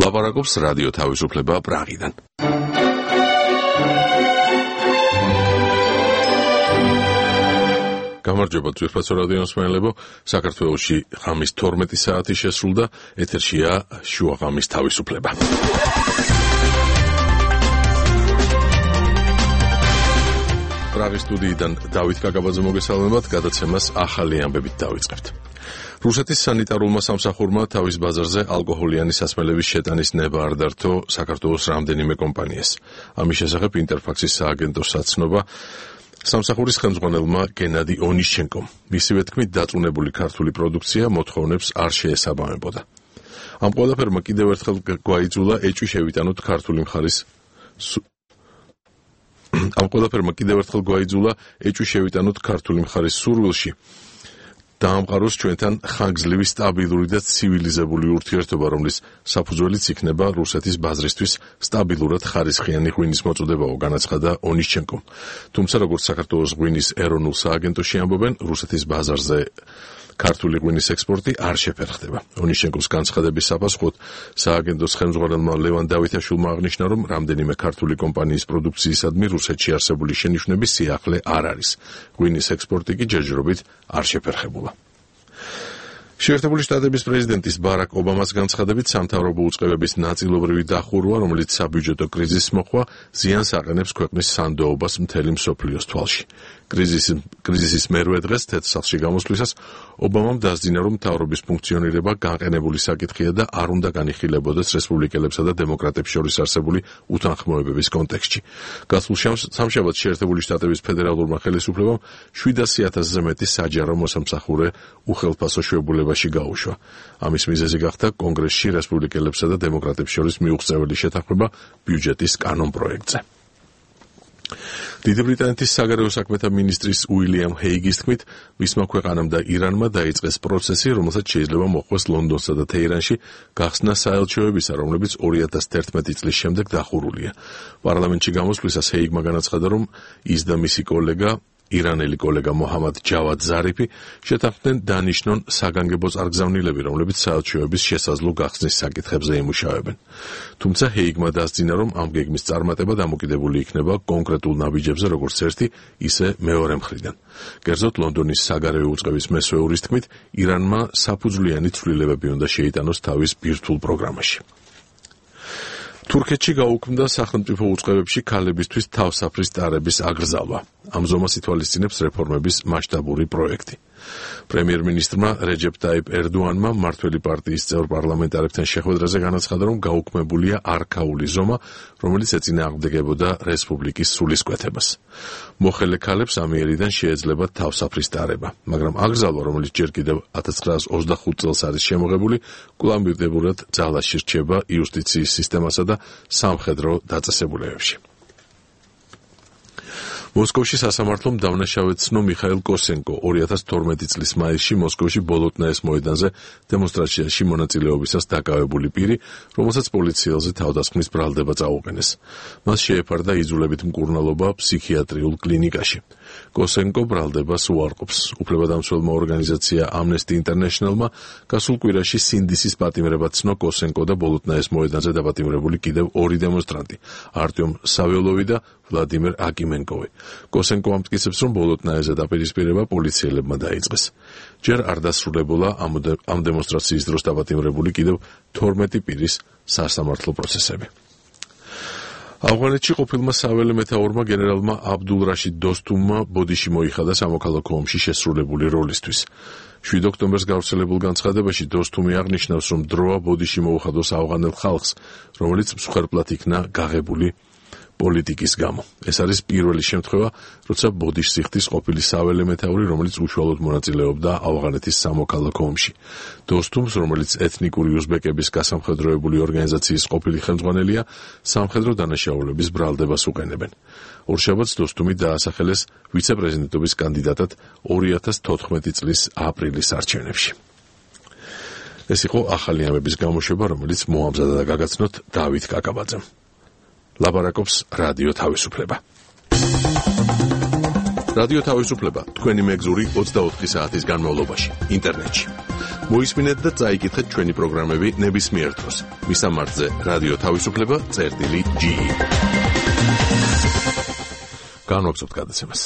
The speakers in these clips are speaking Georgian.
ლაპარაკობს რადიო თავისუფლება პრაღიდან. გამარჯობა ძვირფასო რადიო მსმენელებო, საქართველოში ღამის 12 საათი შესრულდა, ეთერშია შუაღამის თავისუფლება. პრაღის სტუდიიდან დავით კაკაბაძე მოგესალმებათ, გადაცემას ახალი ამბებით დავიწყებთ. რუსეთის სანიტარულმა სამსახურმა თავის ბაზარზე ალკოჰოლიანი სასმელების შეტანის ნება არ დართო საქართველოს რამდენიმე კომპანიას. ამის შესახებ ინტერფაქსის სააგენტო საცნობა სამსახურის ხელმძღვანელმა გენადი ონიშჩენკომ. მისივე თქმით, დაწუნებული ქართული პროდუქცია მოთხოვნებს არ შეესაბამებოდა. ამ ყველაფერმა კიდევ ერთხელ გვაიძულა ეჭვი შევიტანოთ ქართული მხარის სურვილში დაამყაროს ჩვენთან ხანგრძლივი სტაბილური და ცივილიზებული ურთიერთობა, რომლის საფუძველიც იქნება რუსეთის ბაზრისთვის სტაბილურად ხარისხიანი ღვინის მოწოდებაო, განაცხადა ონიშჩენკომ. თუმცა, როგორც საქართველოს ღვინის ეროვნულ სააგენტოში ამბობენ, რუსეთის ბაზარზე ქართული ღვინის ექსპორტი არ შეფერხდება. ონიშჩენკოს განცხადების საპასუხოდ სააგენტოს ხელმძღვანელმა ლევან დავითაშვილმა აღნიშნა, რომ რამდენიმე ქართული კომპანიის პროდუქციისადმი რუსეთში არსებული შენიშვნების სიახლე არ არის. ღვინის ექსპორტი კი ჯერჯერობით არ შეფერხებულა. შეერთებული შტატების პრეზიდენტის ბარაკ ობამას განცხადებით, სამთავრობო უწყებების ნაწილობრივი დახურვა, რომელიც საბიუჯეტო კრიზისს მოჰყვა, ზიანს აყენებს ქვეყნის სანდოობას მთელი მსოფლიოს თვალში. კრიზისის მერვე დღეს თეთრ-სახლში გამოსვლისას ობამამ დასძინა, რომ მთავრობის ფუნქციონირება განყენებული საკითხია და არ უნდა განიხილებოდეს რესპუბლიკელებსა და დემოკრატებს შორის არსებული უთანხმოებების კონტექსტში. გასულ სამშაბათს შეერთებული შტატების ფედერალურმა ხელისუფლებამ 700,000-ზე მეტი საჯარო მოსამსახურე უხელფასო შვებულებაში გაუშვა. ამის მიზეზი გახდა კონგრესში რესპუბლიკელებსა და დემოკრატებს შორის მიუღწეველი შეთანხმება ბიუჯეტის კანონპროექტზე. დიდი ბრიტანეთის საგარეო საქმეთა მინისტრის უილიამ ჰეიგის თქმით, მისმა ქვეყანამ და ირანმა დაიწყეს პროცესი, რომელსაც შეიძლება მოჰყვეს ლონდონსა და თეირანში გახსნა საელჩოებისა, რომლებიც 2011 წლის შემდეგ დახურულია. პარლამენტში გამოსვლისას ჰეიგმა განაცხადა, რომ ის და მისი ირანელი კოლეგა მოჰამად ჯავად ზარიფი შეთანხმდნენ დანიშნონ საგანგებო წარგზავნილები, რომლებიც საელჩოების შესაძლო გახსნის საკითხებზე იმუშავებენ. თუმცა ჰეიგმა დასძინა, რომ ამ გეგმის წარმატება დამოკიდებული იქნება კონკრეტულ ნაბიჯებზე, როგორც ერთი, ისე მეორე მხრიდან. კერძოდ, ლონდონის საგარეო უწყების მესვეურის თქმით, ირანმა საფუძვლიანი ცვლილებები უნდა შეიტანოს თავის ბირთვულ პროგრამაში. თურქეთში გაუქმდა სახელმწიფო უწყებებში ქალებისთვის თავსაფრის ტარების აგრძალვა. ამ ზომას ითვალისწინებს რეფორმების მასშტაბური პროექტი. პრემიერ-მინისტრმა რეჯეპ ტაიპ ერდოანმა მმართველი პარტიის წევრ პარლამენტარებთან შეხვედრაზე განაცხადა, რომ გაუქმებულია არქაული ზომა, რომელიც ეწინააღმდეგებოდა რესპუბლიკის სულისკვეთებას. მოხელე ქალებს ამიერიდან შეეძლებათ თავსაფრის ტარება, მაგრამ აგრძალვა, რომელიც ჯერ კიდევ 1925 წელს არის შემოღებული, კვლავ ძალაში რჩება იუსტიციის სისტემასა და სამხედრო დაწესებულებებში. მოსკოვში სასამართლომ დავნაშავედ ცნო მიხაილ კოსენკო 2012 წლის მაისში მოსკოვში ბოლოტნაეს მოედანზე დემონსტრაციაში მონაწილეობისას დაკავებული პირი, რომელსაც პოლიციელზე თავდასხმის ბრალდება წაუყენეს. მას შეეფარდა იძულებით მკურნალობა ფსიქიატრიულ კლინიკაში. კოსენკო ბრალდებას უარყოფს. უფლებადამცველმა ორგანიზაცია Amnesty International-მა გასულ კვირაში სინდისის პატიმრება ცნო კოსენკო და ბოლოტნაეს მოედანზე დაპატიმრებული კიდევ ორი დემონსტრანტი, არტიომ საველოვი და ვლადიმერ აკიმენკოვი. კოსენკო ამტკიცებს, რომ ბოლოტნაეზე დაპირისპირება პოლიციელებმა დაიწყეს. ჯერ არ დასრულებულა ამ დემონსტრაციის დროს დაპატიმრებული კიდევ 12 პირის სასამართლო პროცესები. ავღანეთში ყოფილმა საველე მეთაურმა გენერალმა აბდულ რაშიდ დოსტუმმა ბოდიში მოიხადა სამოქალაქო ომში შესრულებული როლისთვის. 7 ოქტომბერს გავრცელებულ განცხადებაში დოსტუმი აღნიშნავს, რომ დროა ბოდიში მოუხადოს ავღანელ ხალხს, რომელიც მსხვერპლად იქნა გაღებული პოლიტიკის გამო. ეს არის პირველი შემთხვევა, როცა ბოდიშს იხდის ყოფილი საველე მეთაური, რომელიც უშუალოდ მონაწილეობდა ავღანეთის სამოქალაქო ომში. დოსტუმს, რომელიც ეთნიკური უზბეკების გასამხედროებული ორგანიზაციის ყოფილი ხელმძღვანელია, სამხედრო დანაშაულების ბრალდებას უყენებენ. ორშაბათს დოსტუმი დაასახელეს ვიცე-პრეზიდენტობის კანდიდატად 2014 წლის აპრილის არჩევნებში. ეს იყო ახალი ამბების გამოშვება, რომელიც მოამზადა და გაგაცნოთ დავით კაკაბაძემ. ლაპარაკობს რადიო თავისუფლება. რადიო თავისუფლება თქვენი მეგზური 24 საათის განმავლობაში ინტერნეტში. მოისმინეთ და წაიკითხეთ ჩვენი პროგრამები ნებისმიერ დროს. მისამართზე რადიო თავისუფლება.ge. განვაგრძობთ გადაცემას.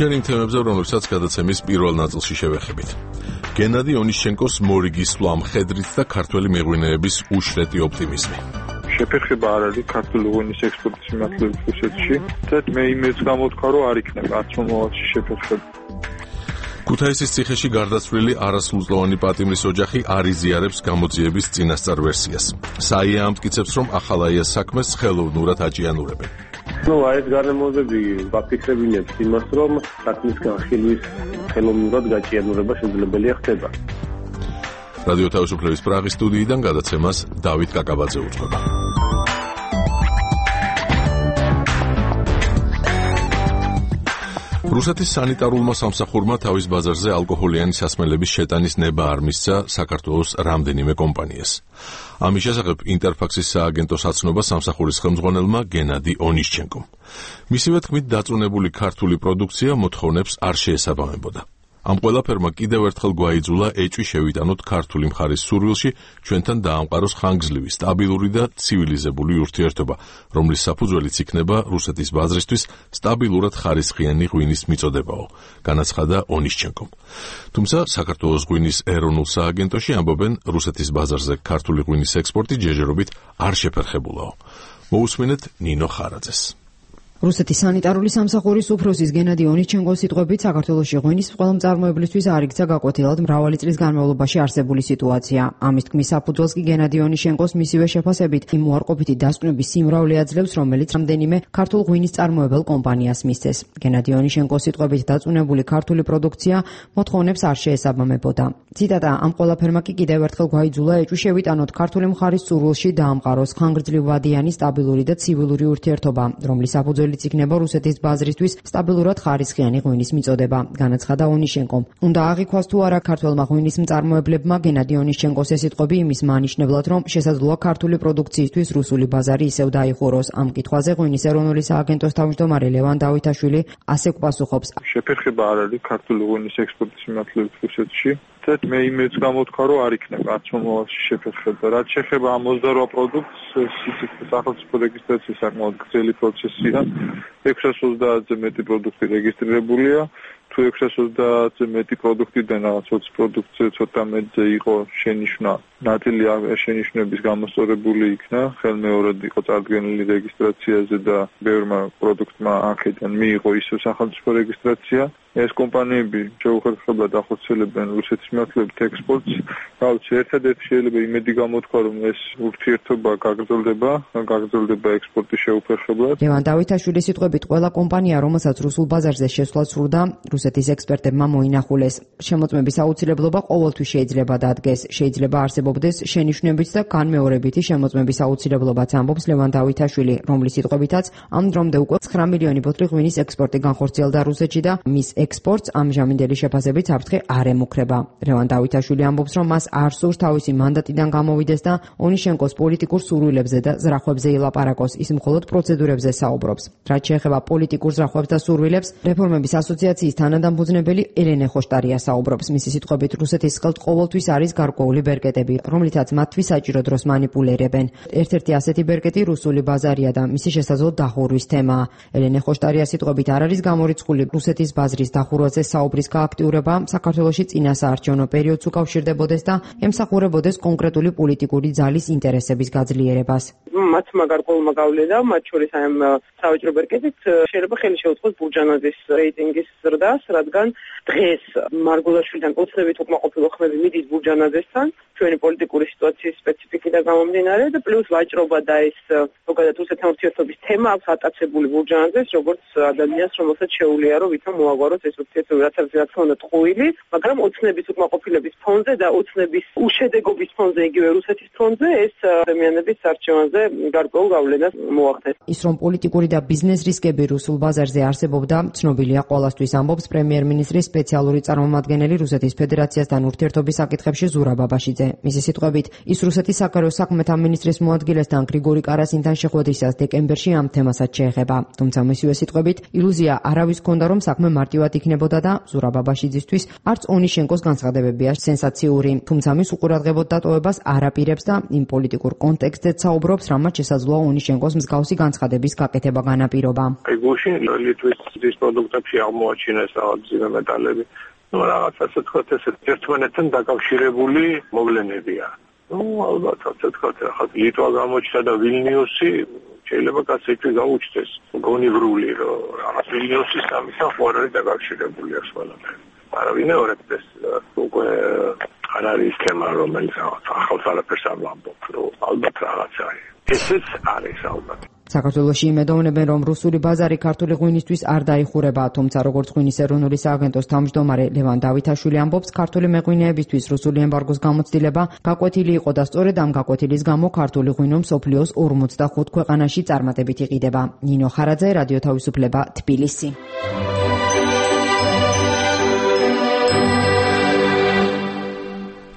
ჯერ იმ თემებზე, რომლებსაც გადაცემის პირველ ნაწილში შევეხებით. გენადი ონიშჩენკოს მორიგი სვლა მხედრით და ქართველი მეღვინეების უშრეტი ოპტიმიზმი. შეფერხება არ არის ქართული ღვინის ექსპორტის მიმართულებით რუსეთში და მე იმედს გამოთქვა, რომ არ იქნება არც მომავალში შეფერხება. ქუთაისის ციხეში გარდაცვლილი არასრულწლოვანი პატიმრის ოჯახი არ იზიარებს გამოძიების წინასწარ ვერსიას. საია ამტკიცებს, რომ ახალაიას საქმეს ხელოვნურად აჭიანურებენ. ეს გარემოებები ვაფიქსებინებთ იმას, რომ საქმის განხილვის ხელოვნურად გაჭიანურება შესაძლებელია ხდება. რადიო თავისუფლების პრაღის სტუდიიდან გადაცემას დავით კაკაბაძე უძღვება. რუსეთის სანიტარულმა სამსახურმა თავის ბაზარზე ალკოჰოლიანი სასმელების შეტანის ნება არ მისცა საქართველოს რამდენიმე კომპანიას. ამის შესახებ ინტერფაქსის სააგენტო საცნობა სამსახურის ხელმძღვანელმა გენადი ონიშჩენკომ. მისივე თქმით, დაწუნებული ქართული პროდუქცია მოთხოვნებს არ შეესაბამებოდა. ამ ყველაფერმა კიდევ ერთხელ გვაიძულა ეჭვი შევიტანოთ ქართული მხარის სურვილში ჩვენთან დაამყაროს ხანგრძლივი, სტაბილური და ცივილიზებული ურთიერთობა, რომლის საფუძველიც იქნება რუსეთის ბაზრისთვის სტაბილურად ხარისხიანი ღვინის მიწოდებაო, განაცხადა ონიშჩენკომ. თუმცა საქართველოს ღვინის ეროვნულ სააგენტოში ამბობენ, რუსეთის ბაზარზე ქართული ღვინის ექსპორტი ჯერჯერობით არ შეფერხებულაო. მოусმინეთ ნინო ხარაძეს. რუსეთის სანიტარული სამსახურის უფროსის გენადი ონიშჩენკოს სიტყვებით, საქართველოში ღვინის ყველამწარმოებლისთვის არ იქცა გაკვეთილად მრავალი წლის განმავლობაში არსებული სიტუაცია. ამის თქმის საფუძველს კი გენადი ონიშჩენკოს მისივე შეფასებით იმ უარყოფითი დასკვნების სიმრავლე აძლევს, რომელიც რამდენიმე ქართულ ღვინის წარმოებელ კომპანიას მისცეს. გენადი ონიშჩენკოს სიტყვებით, დაწუნებული ქართული პროდუქცია მოთხოვნებს არ შეესაბამებოდა. ციტატა: ამ ყველაფერმა კი კიდევ ერთხელ გვაიძულა ეჭვი შევიტანოთ ქართული მხარის სურვილში დაამყაროს ხანგრძლივადიანი, სტაბილური და ცივილური ურთიერთობა, რომლის საფუძველი იქნება რუსეთის ბაზრისთვის სტაბილურად ხარისხიანი ღვინის მიწოდება, განაცხადა ონიშჩენკომ. უნდა აღიქვას თუ არა ქართველმა ღვინის მწარმოებლებმა გენადი ონიშჩენკოს ეს სიტყვები იმის მანიშნებლად, რომ შესაძლოა ქართული პროდუქციისთვის რუსული ბაზარი ისევ დაიხუროს. ამ კითხვაზე ღვინის ეროვნული სააგენტოს თავმჯდომარე ლევან დავითაშვილი ასე გვპასუხობს: შეფერხება არ არის ქართული ღვინის ექსპორტის მიმართულებით რუსეთში. მე იმედს გამოთქვა, რომ არ იქნება არც მომავალში შეფერხება. რაც შეეხება ამ 28 პროდუქტს, სახელმწიფო რეგისტრაციის საკმაოდ გრძელი პროცესია. 630-ზე მეტი პროდუქტი რეგისტრირებულია. თუ 630-ზე მეტი პროდუქტიდან რაღაც 20 პროდუქტზე ცოტა მეტზე იყო შენიშვნა, ნაწილი შენიშვნების გამოსწორებული იქნა, ხელმეორედ იყო წარდგენილი რეგისტრაციაზე და ბევრმა პროდუქტმა აქედან მიიღო ისევ სახელმწიფო რეგისტრაცია. ეს კომპანიები შეუხერხებლად ახორციელებენ რუსეთის მიმართულებით ექსპორტს. ერთადერთი შეიძლება იმედი გამოთქვა, რომ ეს ურთიერთობა გაგრძელდება ექსპორტის შეუფერხებლად. ლევან დავითაშვილის სიტყვებით, ყველა კომპანია, რომელსაც რუსულ ბაზარზე შესვლა სურდა, რუსეთის ექსპერტებმა მოინახულეს. შემოწმების აუცილებლობა ყოველთვის შეიძლება დადგეს. შეიძლება არსებობდეს შენიშვნებიც და განმეორებითი შემოწმების აუცილებლობაც, ამბობს ლევან დავითაშვილი, რომლის სიტყვებითაც ამ დრომდე უკვე 9 მილიონი ბოთლი ღვინის ექსპორტი განხორციელდა რუსეთში და მის ექსპორტს ამჟამინდელი შეფასებით საფრთხე არ ემუქრება. ლევან დავითაშვილი ამბობს, რომ მას არ სურს თავისი მანდატიდან გამოვიდეს და ონიშჩენკოს პოლიტიკურ სურვილებზე და ზრახვებზე ილაპარაკოს. ის მხოლოდ პროცედურებზე საუბრობს. რაც შეეხება პოლიტიკურ ზრახვებს და სურვილებს, რეფორმების ასოციაციის თანადამფუძნებელი ელენე ხოშტარია საუბრობს. მისი სიტყვებით, რუსეთის ხელთ ყოველთვის არის გარკვეული ბერკეტები, რომლითაც მათთვის საჭირო დროს მანიპულირებენ. ერთ-ერთი ასეთი ბერკეტი რუსული ბაზარია და მისი შესაძლო დახურვის თემაა. ელენე ხოშტარია სიტყვებით, არ არის გამორიცხული რუსეთის ბაზრის დახურვაზე საუბრის გააქტიურება საქართველოში წინა საარჩევნო პერიოდს უკავშირდებოდეს და ემსახურებოდეს კონკრეტული პოლიტიკური ძალის ინტერესების გაძლიერებას. მათმა გარკვეულმა გავლენა, მათ შორის ამ სავაჭრო ბერკეტით შეიძლება ხელი შეუწყოს ბურჯანაძის რეიტინგის ზრდას, რადგან დღეს მარგულაშვილიდან ოცნებით უკმაყოფილო ხმები მიდის ბურჯანაძესთან, ჩვენი პოლიტიკური სიტუაციის სპეციფიკიდან გამომდინარე და პლუს ვაჭრობა და ეს ზოგადად რუსეთთან ურთიერთობის თემა აქვს ატაცებული ბურჯანაძეს, როგორც ადამიანს, რომელსაც შეუძლია რომ ვითომ მოაგვაროს ეს ურთიერთობა, რაც რა თქმა უნდა ტყუილი, მაგრამ ოცნების უკმაყოფილების ფონზე და ოცნების უშედეგობის ფონზე, იგივე რუსეთის ფონზე ეს ადამიანების არჩევანზე საკითხებზე გარკვეულ გავლენას მოახდენს. ის რომ პოლიტიკური და ბიზნეს რისკები რუსულ ბაზარზე არსებობდა, ცნობილია ყველასთვის, ამბობს პრემიერ-მინისტრის სპეციალური წარმომადგენელი რუსეთის ფედერაციასთან ურთიერთობის საკითხებში ზურაბ ბაბაშიძე. მისი სიტყვებით, ის რუსეთის საგარეო საქმეთა მინისტრის მოადგილესთან გრიგორი კარასინთან შეხვედრისას დეკემბერში ამ თემასაც შეეხება. თუმცა მისივე სიტყვებით, ილუზია არავის ჰქონდა, რომ საქმე მარტივად იქნებოდა და ზურაბ ბაბაშიძისთვის არც ონიშენკოს განცხადებებია სენსაციური. თუმცა მის უყურადღებოდ დატოვებას არ აპირებს და იმ პოლიტიკურ კონტექსტზეც საუბრობს, რამაც შესაძლოა ონიშენკოს მსგავსი განცხადების გაკეთება განაპირობა. გუშინ ლიტვის პროდუქტებში აღმოაჩინეს მძიმე მეტალები. რაღაც ასე თქვა, ეს ერთმანეთთან დაკავშირებული მოვლენებია. ალბათ ასე თქვა, ახლა ლიტვა გამოჩნდა და ვილნიუსი შეიძლება კაცები გაუჩნდეს. გონივრული რომ რაღაც ვილნიუსის ამისთან ხوار არის დაკავშირებული აქვს ყველაფერი. არავინეორებს ეს უკვე არ არის თემა, რომელიც ახალს არაფერს არ ვამბობ, რომ ალბათ რაღაცა არის. ესეც არის ალბათ. საქართველოში იმედოვნებენ, რომ რუსული ბაზარი ქართული ღვინისთვის არ დაიხურება, თუმცა როგორც ღვინის ეროვნული სააგენტოს თავმჯდომარე ლევან დავითაშვილი ამბობს, ქართული მეღვინეებისთვის რუსული ემბარგოს გამოცდილება გაკვეთილი იყო და სწორედ ამ გაკვეთილის გამო ქართული ღვინო მსოფლიოს 45 ქვეყანაში წარმატებით იყიდება. ნინო ხარაძე, რადიო თავისუფლება, თბილისი.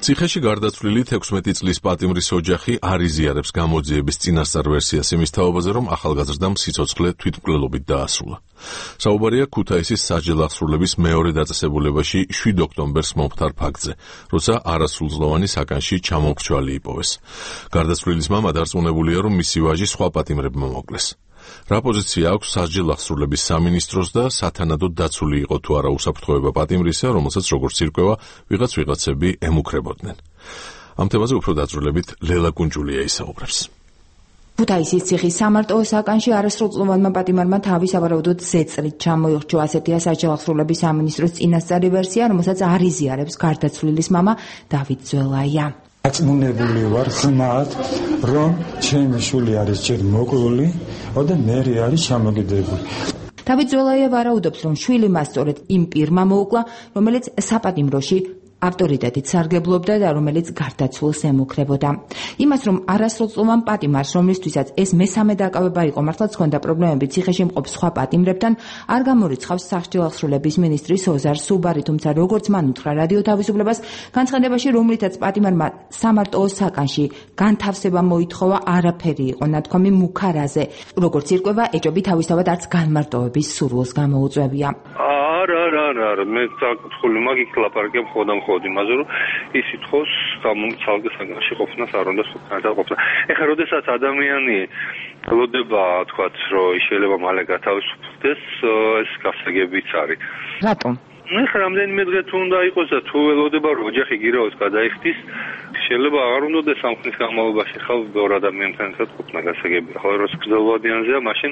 ციხეში გარდაცვლილი 16 წლის პატიმრის ოჯახი არ იზიარებს გამოძიების წინასწარ ვერსიას იმის თაობაზე, რომ ახალგაზრდამ სიცოცხლე თვითმკვლელობით დაასრულა. საუბარია ქუთაისის სასჯელ აღსრულების მეორე დაწესებულებაში 7 ოქტომბერს მომხდარ ფაქტზე, როცა არასრულწლოვანი საკანში ჩამომრჩვალი იპოვეს. გარდაცვლილის მამა დარწმუნებულია, რომ მისი ვაჟი სხვა პატიმრებმა მოკლეს. რა პოზიცია აქვს სასჯელ აღსრულების სამინისტროს და სათანადოდ დაცული იყო თუ არა უსაფრთხოება პატიმრისა, რომელსაც როგორც ირკვევა, ვიღაცები ემუქრებოდნენ. ამ თემაზე უფრო დაწვრილებით ლელა კუნჯულია ისაუბრებს. ქუთაისის ციხის სამარტოო საკანში არასრულწლოვანმა პატიმარმა თავი სავარაუდოდ ზეწრით ჩამოიხრჩო, ასეთია სასჯელ აღსრულების სამინისტროს წინასწარი ვერსია, რომელსაც არ იზიარებს გარდაცვლილის მამა დავით ძველაია. აწმუნებული ვარ ხმად, რომ ჩემი შვილი არის ჯერ მოკლული და მერე არის ჩამოგდებული. დავით ძველაია ვარაუდობს, რომ შვილი მას სწორედ იმ პირმა მოუკლა, რომელიც საპატიმროში ავტორიტეტით სარგებლობდა და რომელიც გარდაცვლილს ემუქრებოდა. იმას, რომ არასრულწლოვან პატიმარს, რომლისთვისაც ეს მესამე დაკავება იყო, მართლაც ჰქონდა პრობლემები ციხეში მყოფ სხვა პატიმრებთან, არ გამორიცხავს სასჯელ აღსრულების მინისტრის ოზარ სუბარი, თუმცა როგორც მან უთხრა რადიო თავისუფლებას, განცხადებაში, რომლითაც პატიმარმა სამარტოო საკანში განთავსება მოითხოვა, არაფერი იყო ნათქვამი მუქარაზე. როგორც ირკვევა, ეჭვები თავისთავად არც განმარტოვების სურვილს გამოუწვევია. არა, მე საკითხული მაგით ლაპარაკებ ხოდამ იმაზე, რომ ის ითხოვს გამომცალკე საკანში ყოფნას არ უნდა სულ ყოფნა. ეხლა როდესაც ადამიანი ელოდება, თქვათ, რომ შეიძლება მალე გათავისუფლდეს, ეს გასაგებიც არის. რატომ? ეხლა რამდენიმე დღე თუ უნდა იყოს და თუ ელოდება, რომ ოჯახი გირაოს გადაიხდის, შეიძლება აღარ უნდადეს ამ ხნის განმავლობაში ხალ ბევრ ადამიანთან ერთად ყოფნა გასაგებია. ხოლო რომ გრძელვადიანზეა, მაშინ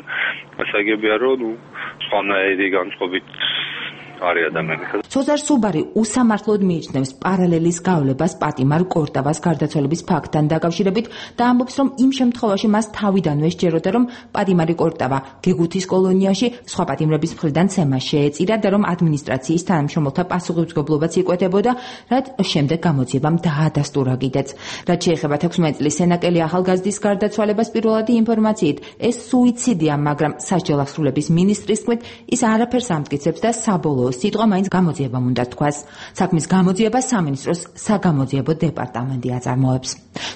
გასაგებია, რომ სხვანაირი განწყობით არის ადამიანი. ოზარ სუბარი უსამართლოდ მიიჩნევს პარალელის გავლებას პატიმარ კორტავას გარდაცვალების ფაქტთან დაკავშირებით და ამბობს, რომ იმ შემთხვევაში მას თავიდანვე სჯეროდა, რომ პატიმარი კორტავა გეგუთის კოლონიაში სხვა პატიმრების მხრიდან ცემა შეეწირა და რომ ადმინისტრაციის თანამშრომელთა პასუხისმგებლობაც იკვეთებოდა, რაც შემდეგ გამოძიებამ დაადასტურა კიდეც. რაც შეეხება 16 წლის სენაკელი ახალგაზრდის გარდაცვალებას, პირველადი ინფორმაციით ეს სუიციდია, მაგრამ სასჯელ აღსრულების მინისტრის თქმით, ის არაფერს ამტკიცებს და საბოლოო სიტყვა მაინც გამოძიებამ უნდა თქვას. საქმის გამოძიებას სამინისტროს საგამოძიებო დეპარტამენტი აწარმოებს.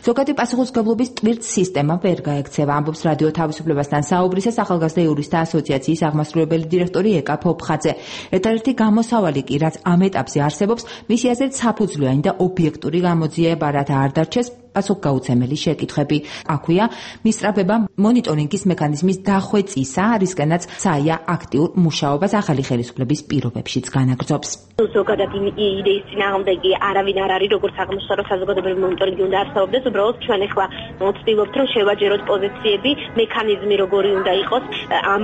ზოგადი პასუხისმგებლობის ტვირთ სისტემა ვერ გაექცევა, ამბობს რადიო თავისუფლებასთან საუბრისას ახალგაზრდა იურისტთა ასოციაციის აღმასრულებელი დირექტორი ეკა ფოფხაძე. ერთადერთი გამოსავალი კი, რაც ამ ეტაპზე არსებობს, მისი აზრით საფუძვლიანი და ობიექტური გამოძიება, რათა არ დარჩეს პასუხგაუცემელი შეკითხვები. აქვეა მისწრაფება მონიტორინგის მექანიზმის დახვეწისა, რისკენაც საია აქტიურ მუშაობას ახალი ხელისუფლების პირობებშიც განაგრძობს. ზოგადად იდეის წინააღმდეგი არავინ არ არის, როგორც აღმოჩნდა, რომ საზოგადოებრივი მონიტორინგი უნდა არსებობდეს, უბრალოდ ჩვენ ახლა ვცდილობთ, რომ შევაჯეროთ პოზიციები, მექანიზმი როგორი უნდა იყოს ამ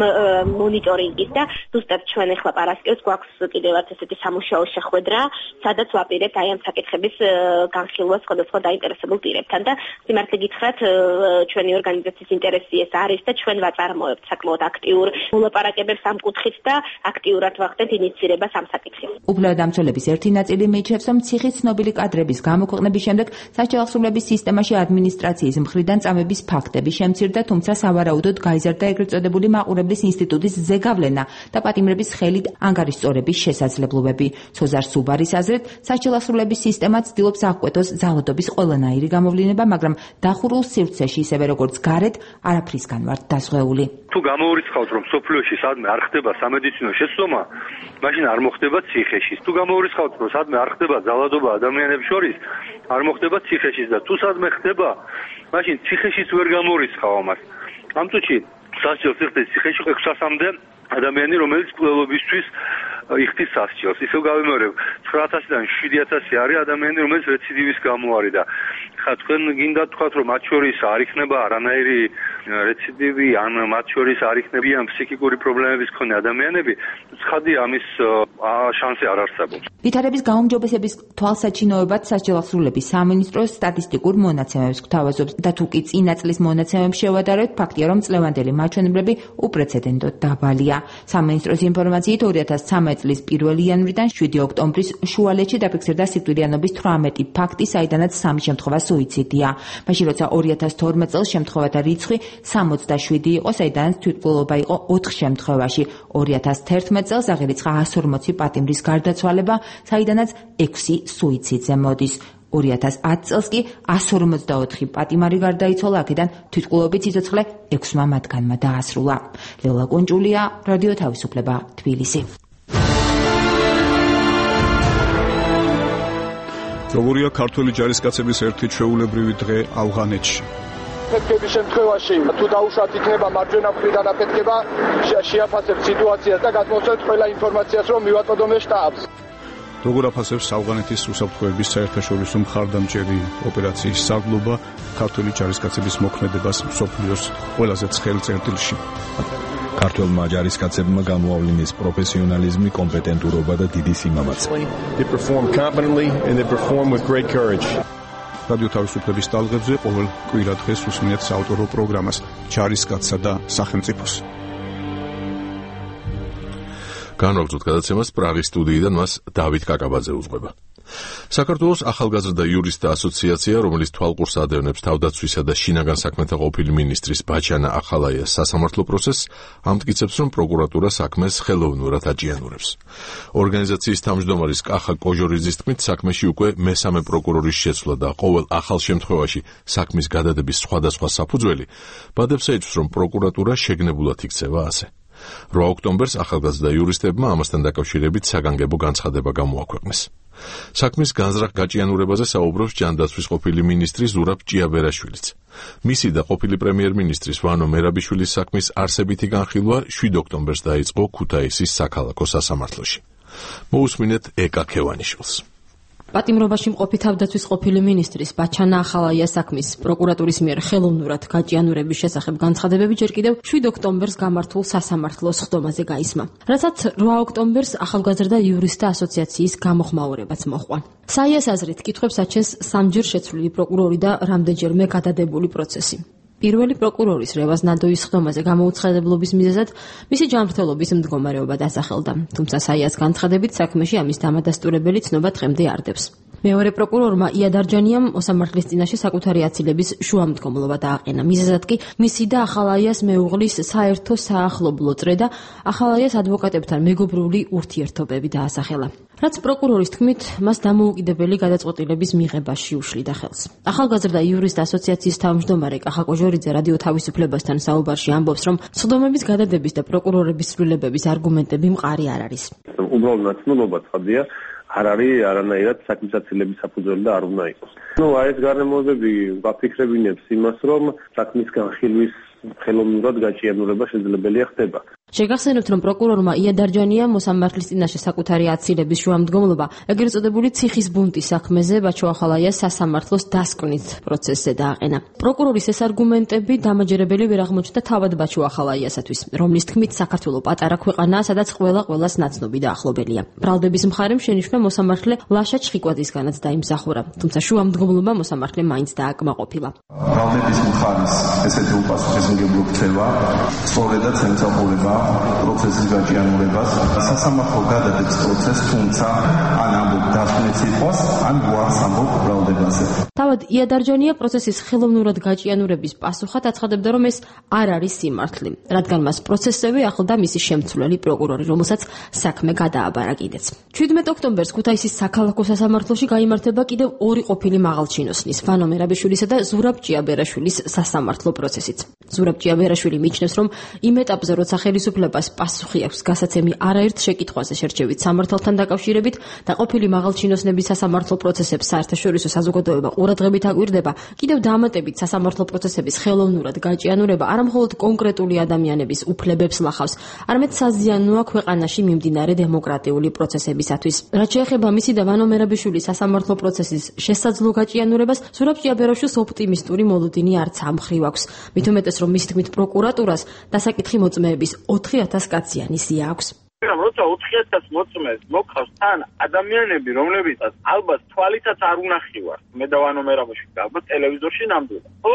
მონიტორინგის და ზუსტად ჩვენ ახლა პარასკევს გვაქვს კიდევაც ესეთი სამუშაო შეხვედრა, სადაც ვაპირებთ აი ამ საკითხების განხილვას სხვადასხვა დაინტერესებულ პირებთან. მოლაპარაკებთან და სიმართლე გითხრათ ჩვენი ორგანიზაციის ინტერესი ეს არის და ჩვენ ვაწარმოებთ საკმაოდ აქტიურ მოლაპარაკებებს ამ კუთხით და აქტიურად ვახდენთ ინიციირებას ამ საკითხის. უფლებადამცველების ერთი ნაწილი მიიჩნევს, რომ ციხის ცნობილი კადრების გამოქვეყნების შემდეგ საჯარო აღსრულების სისტემაში ადმინისტრაციის მხრიდან წამების ფაქტები შემცირდა, თუმცა სავარაუდოდ გაიზარდა ეგრეთ წოდებული მაყურებლის ინსტიტუტის ზეგავლენა და პატიმრების ხელით ანგარიშწორების შესაძლებლობები. სოზარ სუბარის აზრით, საჯარო აღსრულების სისტემა ცდილობს აღკვეთოს ძალადობის ყველანაირი გამოვლინება, მაგრამ დახურულ სივრცეში, ისევე როგორც გარეთ, არაფრისგან ვართ დაზღვეული. თუ გამოურიცხავთ, რომ სოფლიოში სადმე არ ხდება სამედიცინო შეცდომა, მაშინ არ მოხდება ციხეში. თუ გამოურიცხავთ, რომ სადმე არ ხდება ძალადობა ადამიანებს შორის, არ მოხდება ციხეში და თუ სადმე ხდება, მაშინ ციხეშიც ვერ გამოურიცხავ ამას. ამ წუთში სასჯელს იხდის ციხეში 600-მდე ადამიანი, რომელიც კვლევებისთვის იხდის სასჯელს. ისევ გავიმეორებ, 9000-დან 7000 არის ადამიანი, რომელიც რეციდივის გამო არის და ხა თქვენ გინდა თქვათ, რომ მათ შორის არ იქნება არანაირი რეციდივი, ან მათ შორის არ იქნებიან ფსიქიკური პრობლემების მქონე ადამიანები, ცხადია ამის შანსი არ არსებობს. ვითარების გაუმჯობესების თვალსაჩინოებად სასჯელ აღსრულების სამინისტრო სტატისტიკურ მონაცემებს გვთავაზობს და თუ კი წინა წლის მონაცემებს შევადარებთ, ფაქტია, რომ წლევანდელი მაჩვენებლები უპრეცედენტოდ დაბალია. სამინისტროს ინფორმაციით 2013 წლის 1 იანვრიდან 7 ოქტომბრის შუალედში დაფიქსირდა სიკვდილიანობის 18 ფაქტი, საიდანაც 3 შემთხვევა სუიციდია. მაშინ როცა 2012 წელს შემთხვევათა რიცხვი 67 იყო, საიდანაც თვითმკვლელობა იყო 4 შემთხვევაში. 2011 წელს აღირიცხა 140 პატიმრის გარდაცვალება, საიდანაც 6 სუიციდზე მოდის. 2010 წელს კი 154 პატიმარი გარდაიცვალა, აქედან თვითმკვლელობით სიცოცხლე 6 მათგანმა დაასრულა. ლელა კონჭულია, რადიო თავისუფლება, თბილისი. როგორია ქართველი ჯარისკაცების ერთი ჩვეულებრივი დღე ავღანეთში? აფეთქების შემთხვევაში თუ დაუშვათ იქნება მარჯვენა მხრიდან აფეთქება, შეაფასებთ სიტუაციას და გადმოსცემთ ყველა ინფორმაციას, რომ მივაწოდოთ შტაბს. როგორ აფასებს ავღანეთის უსაფრთხოების საერთაშორისო მხარდამჭერი ოპერაციის სარდლობა ქართველი ჯარისკაცების მოქმედებას მსოფლიოს ყველაზე ცხელ წერტილში? ქართველმა ჯარისკაცებმა გამოავლინეს პროფესიონალიზმი, კომპეტენტურობა და დიდი სიმამაცე. რადიო თავისუფლების ტალღებზე ყოველ კვირა დღეს უსმენთ საავტორო პროგრამას ჯარისკაცსა და სახელმწიფოს. განვაგრძოთ გადაცემას პრაღის სტუდიიდან, მას დავით კაკაბაძე უძღვება. საქართველოს ახალგაზრდა იურისტთა ასოციაცია, რომელიც თვალყურს ადევნებს თავდაცვისა და შინაგან საქმეთა ყოფილი მინისტრის ბაჩანა ახალაიას სასამართლო პროცესს, ამტკიცებს, რომ პროკურატურა საქმეს ხელოვნურად აჭიანურებს. ორგანიზაციის თავმჯდომარის კახა კოჟორიძის თქმით, საქმეში უკვე მესამე პროკურორის შეცვლა და ყოველ ახალ შემთხვევაში საქმის გადადების სხვადასხვა საფუძველი ბადებს ეჭვს, რომ პროკურატურა შეგნებულად იქცევა ასე. 8 ოქტომბერს ახალგაზრდა იურისტებმა ამასთან დაკავშირებით საგანგებო განცხადება გამოაქვეყნეს. საქმის განზრახ გაჭიანურებაზე საუბრობს ჯანდაცვის ყოფილი მინისტრი ზურაბ ჭიაბერაშვილიც. მისი და ყოფილი პრემიერ-მინისტრის ვანო მერაბიშვილის საქმის არსებითი განხილვა 7 ოქტომბერს დაიწყო ქუთაისის საქალაქო სასამართლოში. მოусმინეთ ეკა ქევანიშვილს. პატიმრობაში მყოფი თავდაცვის ყოფილი მინისტრის ბაჩანა ახალაიას საქმის პროკურატურის მიერ ხელოვნურად გაჭიანურების შესახებ განცხადებები ჯერ კიდევ 7 ოქტომბერს გამართულ სასამართლოს ხდომაზე გაისმა. რასაც 8 ოქტომბერს ახალგაზრდა იურისტთა ასოციაციის გამოხმაურებაც მოჰყვა. საიას აზრით კითხვებს აჩენს სამჯერ შეცვლილი პროკურორი და რამდენჯერმე გადადებული პროცესი. პირველი პროკურორის რევაზ ნადოის ხდომაზე გამოუცხადებლობის მიზეზად მისი ჯანმრთელობის მდგომარეობა დასახელდა, თუმცა საიას განცხადებით საქმეში ამის დამადასტურებელი ცნობა დღემდე არდებს. მეორე პროკურორმა იადარჯანიამ მოსამართლის წინაშე საკუთარი აცილების შუამდგომლობა დააყენა. მიზეზად კი მისი და ახალაიას მეუღლის საერთო საახლობლო წრე და ახალაიას ადვოკატებთან მეგობრული ურთიერთობები დაასახელა. რაც პროკურორის თქმით, მას დამოუკიდებელი გადაწყვეტილების მიღებაში უშლიდა ხელს. ახალგაზრდა იურისტთა ასოციაციის თავმჯდომარე კახა კოჟორიძე რადიო თავისუფლებასთან საუბარში ამბობს, რომ სხდომების გადადების და პროკურორების ცვლილებების არგუმენტები მყარი არ არის. უბრალოდ ნაცნობობა ცხადია, არ არის არანაირად საქმის აცილების საფუძველი და არ უნდა იყოს. ეს გარემოებები ვაფიქრებინებს იმას, რომ საქმის განხილვის ხელოვნურად გაჭიანურება შესაძლებელია ხდება. შეგახსენებთ, რომ პროკურორმა იადარჯანია მოსამართლის წინაშე საკუთარი აცილების შუამდგომლობა ეგრეთ წოდებული ციხის ბუნტის საქმეზე ბაჩოახალაიას სასამართლოს დასკვნით პროცესზე დააყენა. პროკურორის ეს არგუმენტები დამაჯერებელი ვერ აღმოჩნდა თავად ბაჩოახალაიასათვის, რომლის თქმით საქართველოს პატარა ქვეყანაა, სადაც ყველას ნაცნობი და ახლობელია. ბრალდების მხარემ შენიშვნა მოსამართლე ლაშა ჩხიკვაძისგანაც დაიმსახურა, თუმცა შუამდგომლობა მოსამართლე მაინც დააკმაყოფილა. ბრალდების მხარის ესეთი უპასუხისმგებლო ქცევა სწორედაც ემსახურება პროცესის გაჭიანურებას. სასამართლო გადადებს პროცესს, თუმცა ან ამბობ დასკვნით იყოს, ან გვარს ამბობ ბრალდებაზე. თავად იადარჯანია პროცესის ხელოვნურად გაჭიანურების პასუხად აცხადებდა, რომ ეს არ არის სიმართლე, რადგან მას პროცესზე ახლდა მისი შემცვლელი პროკურორი, რომელსაც საქმე გადააბარა კიდეც. 17 ოქტომბერს ქუთაისის საქალაქო სასამართლოში გაიმართება კიდევ ორი ყოფილი მაღალჩინოსნის, ვანო მერაბიშვილისა და ზურაბ ჭიაბერაშვილის სასამართლო პროცესიც. ზურაბ ჭიაბერაშვილი მიიჩნევს, რომ იმ ეტაპზე, როცა ხელისუფლებას პასუხი აქვს გასაცემი არაერთ შეკითხვაზე შერჩევით სამართალთან დაკავშირებით და ყოფილი მაღალჩინოსნების სასამართლო პროცესებს საერთაშორისო საზოგადოება ყურადღებით აკვირდება, კიდევ დამატებით სასამართლო პროცესების ხელოვნურად გაჭიანურება არამხოლოდ კონკრეტული ადამიანების უფლებებს ლახავს, არამედ საზიანოა ქვეყანაში მიმდინარე დემოკრატიული პროცესებისათვის. რაც შეეხება მისი და ვანო მერაბიშვილის სასამართლო პროცესის შესაძლო გაჭიანურებას, ზურაბ ჭიაბერაშვილს ოპტიმისტური მოლოდინი არც ამხრივ აქვს. მით უმეტეს, რომ მისი თქმით პროკურატურას დასაკითხი მოწმეების 4000 კაციანი სია აქვს. როცა 4000 მოწმეს მოყავს თან ადამიანები, რომლებიცაც ალბათ თვალითაც არ უნახივარ. მე და ვანო მერაბიშვილი ალბათ ტელევიზორში ნამდვილად. ხო?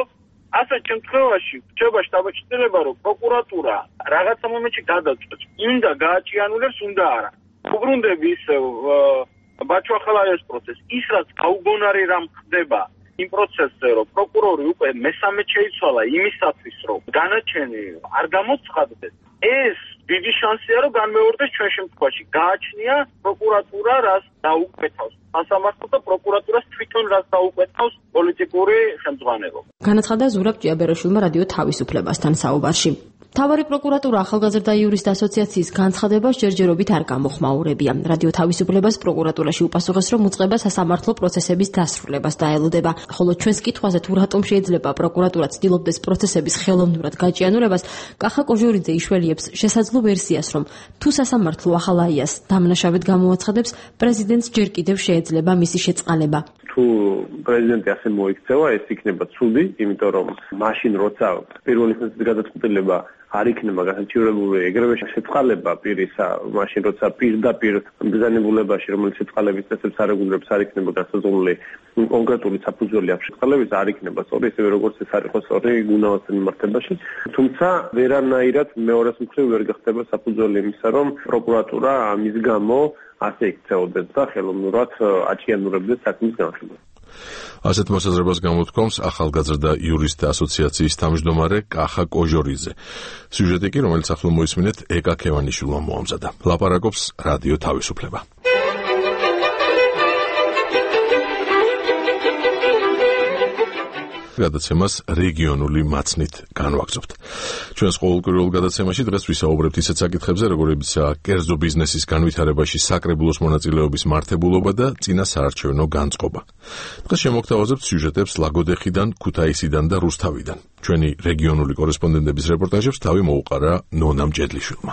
ასეთ შემთხვევაში რჩება შტაბ-ჩრდილება, რომ პროკურატურა რაღაცა მომენტში გადაწყვეტს, უნდა გააჭიანურებს, უნდა არა. უბრუნდები ისევ ბაჩოახალაიას პროცესს, ის რაც გაუგონარი რამ ხდება იმ პროცესზე, რომ პროკურორი უკვე მესამე შეიცვალა იმისათვის, რომ განაჩენი არ გამოცხადდეს, ეს დიდი შანსია, რომ განმეორდეს ჩვენ შემთხვევაში. გააჩნია პროკურატურა რას დაუკვეთავს. სასამართლო და პროკურატურას თვითონ რას დაუკვეთავს პოლიტიკური ხელმძღვანელობა. განაცხადა ზურაბ ჭიაბერაშვილმა რადიო თავისუფლებასთან საუბარში. მთავარი პროკურატურა ახალგაზრდა იურისტთა ასოციაციის განცხადებას ჯერჯერობით არ გამოხმაურებია. რადიო თავისუფლებას პროკურატურაში უპასუხეს, რომ უწყება სასამართლო პროცესების დასრულებას დაელოდება. ხოლო ჩვენს კითხვაზე თუ რატომ შეიძლება პროკურატურა ცდილობდეს პროცესების ხელოვნურად გაჭიანურებას, კახა კოჟორიძე იშველიებს შესაძლო ვერსიას, რომ თუ სასამართლო ახალაიას დამნაშავედ გამოაცხადებს, პრეზიდენტს ჯერ კიდევ შეეძლება მისი შეწყალება. თუ პრეზიდენტი ასე მოიქცევა, ეს იქნება ცუდი, იმიტომ რომ მაშინ როცა პირველი ინსტანციის გადაწყვეტილება არ იქნება გასაჩივრებული ეგრევე შეწყალება პირისა, მაშინ როცა პირდაპირ ბრძანებულებაში, რომელიც შეწყალების წესებს არ ეგუება, არ იქნება გასაზრდელი კონკრეტული საფუძველი აქვს შეწყალების, არ იქნება სწორი, ისევე როგორც ეს არ იყო სწორი გუნავასთან მიმართებაში. თუმცა ვერანაირად მეორეს მხრივ ვერ გახდება საფუძველი იმისა, რომ პროკურატურა ამის გამო ასე იქცეოდეს და ხელოვნურად აჭიანურებდეს საქმის განხილვას. ასეთ მოსაზრებას გამოთქვამს ახალგაზრდა იურისტთა ასოციაციის თავმჯდომარე კახა კოჟორიძე. სიუჟეტი კი, რომელიც ახლა მოისმინეთ, ეკა ქევანიშვილმა მოამზადა. ლაპარაკობს რადიო თავისუფლება. გადაცემას რეგიონული მაცნით განვაგრძობთ. ჩვენს ყოველკვირეულ გადაცემაში დღეს ვისაუბრებთ ისეთ საკითხებზე, როგორებიცაა კერძო ბიზნესის განვითარებაში საკრებულოს მონაწილეობის მართებულობა და წინა საარჩევნო განწყობა. დღეს შემოგთავაზებთ სიუჟეტებს ლაგოდეხიდან, ქუთაისიდან და რუსთავიდან. ჩვენი რეგიონული კორესპონდენტების რეპორტაჟებს თავი მოუყარა ნონა მჭედლიშვილმა.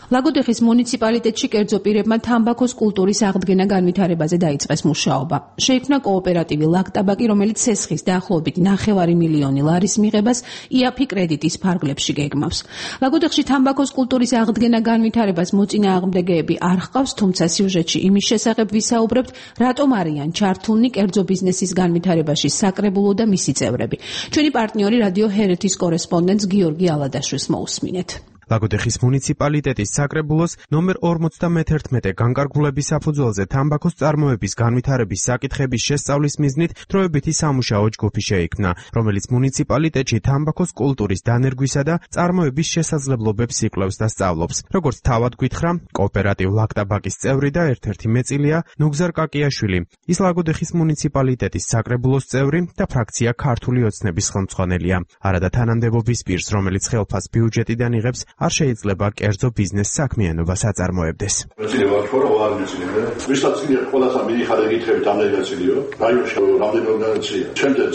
ლაგოდეხის მუნიციპალიტეტში კერძო პირებმა თამბაქოს კულტურის აღდგენა განვითარებაზე დაიწყეს მუშაობა. შეიქმნა კოოპერატივი ლაგტაბაკი, რომელიც სესხის დაახლოებით 9 მილიონი ლარის მიღებას იაფი კრედიტის ფარგლებში გეგმავს. ლაგოდეხში თამბაქოს კულტურის აღდგენა განვითარებას მოწინააღმდეგეები არ ჰყავს, თუმცა სიუჟეტში იმის შესახებ ვისაუბრებთ, რატომ არიან ჩართულნი კერძო ბიზნესის განვითარებაში საკრებულო და მისი წევრები. ჩვენი პარტნიორი რადიო ჰერეთის კორესპონდენტს გიორგი ალადაშვილს მოусმინეთ. ლაგოდეხის მუნიციპალიტეტის საკრებულოს ნომერ 51 განკარგულების საფუძველზე თამბაქოს წარმოების განვითარების საკითხების შესწავლის მიზნით დროებითი სამუშაო ჯგუფი შეიქმნა, რომელიც მუნიციპალიტეტში თამბაქოს კულტურის დანერგვისა და წარმოების შესაძლებლობებს იკვლევს და სწავლობს. როგორც თავად გითხრა, კოოპერატივ ლაგტაბაკის წევრი და ერთ-ერთი მეწილია ნუგზარ კაკიაშვილი. ის ლაგოდეხის მუნიციპალიტეტის საკრებულოს წევრი და ფრაქცია ქართული ოცნების ხელმძღვანელია. არადა თანამდებობის პირს, რომელიც ხელფას ბიუჯეტიდან იღებს, არ შეიძლება კერძო ბიზნეს საქმიანობას აწარმოებდეს. მეცილება თორე არ მეცილება. ვისაც წინერ ყველასა მიიხარე გითხრებით ამ დელეგაციიო. რაიონში რამდენი ორგანიზაცია.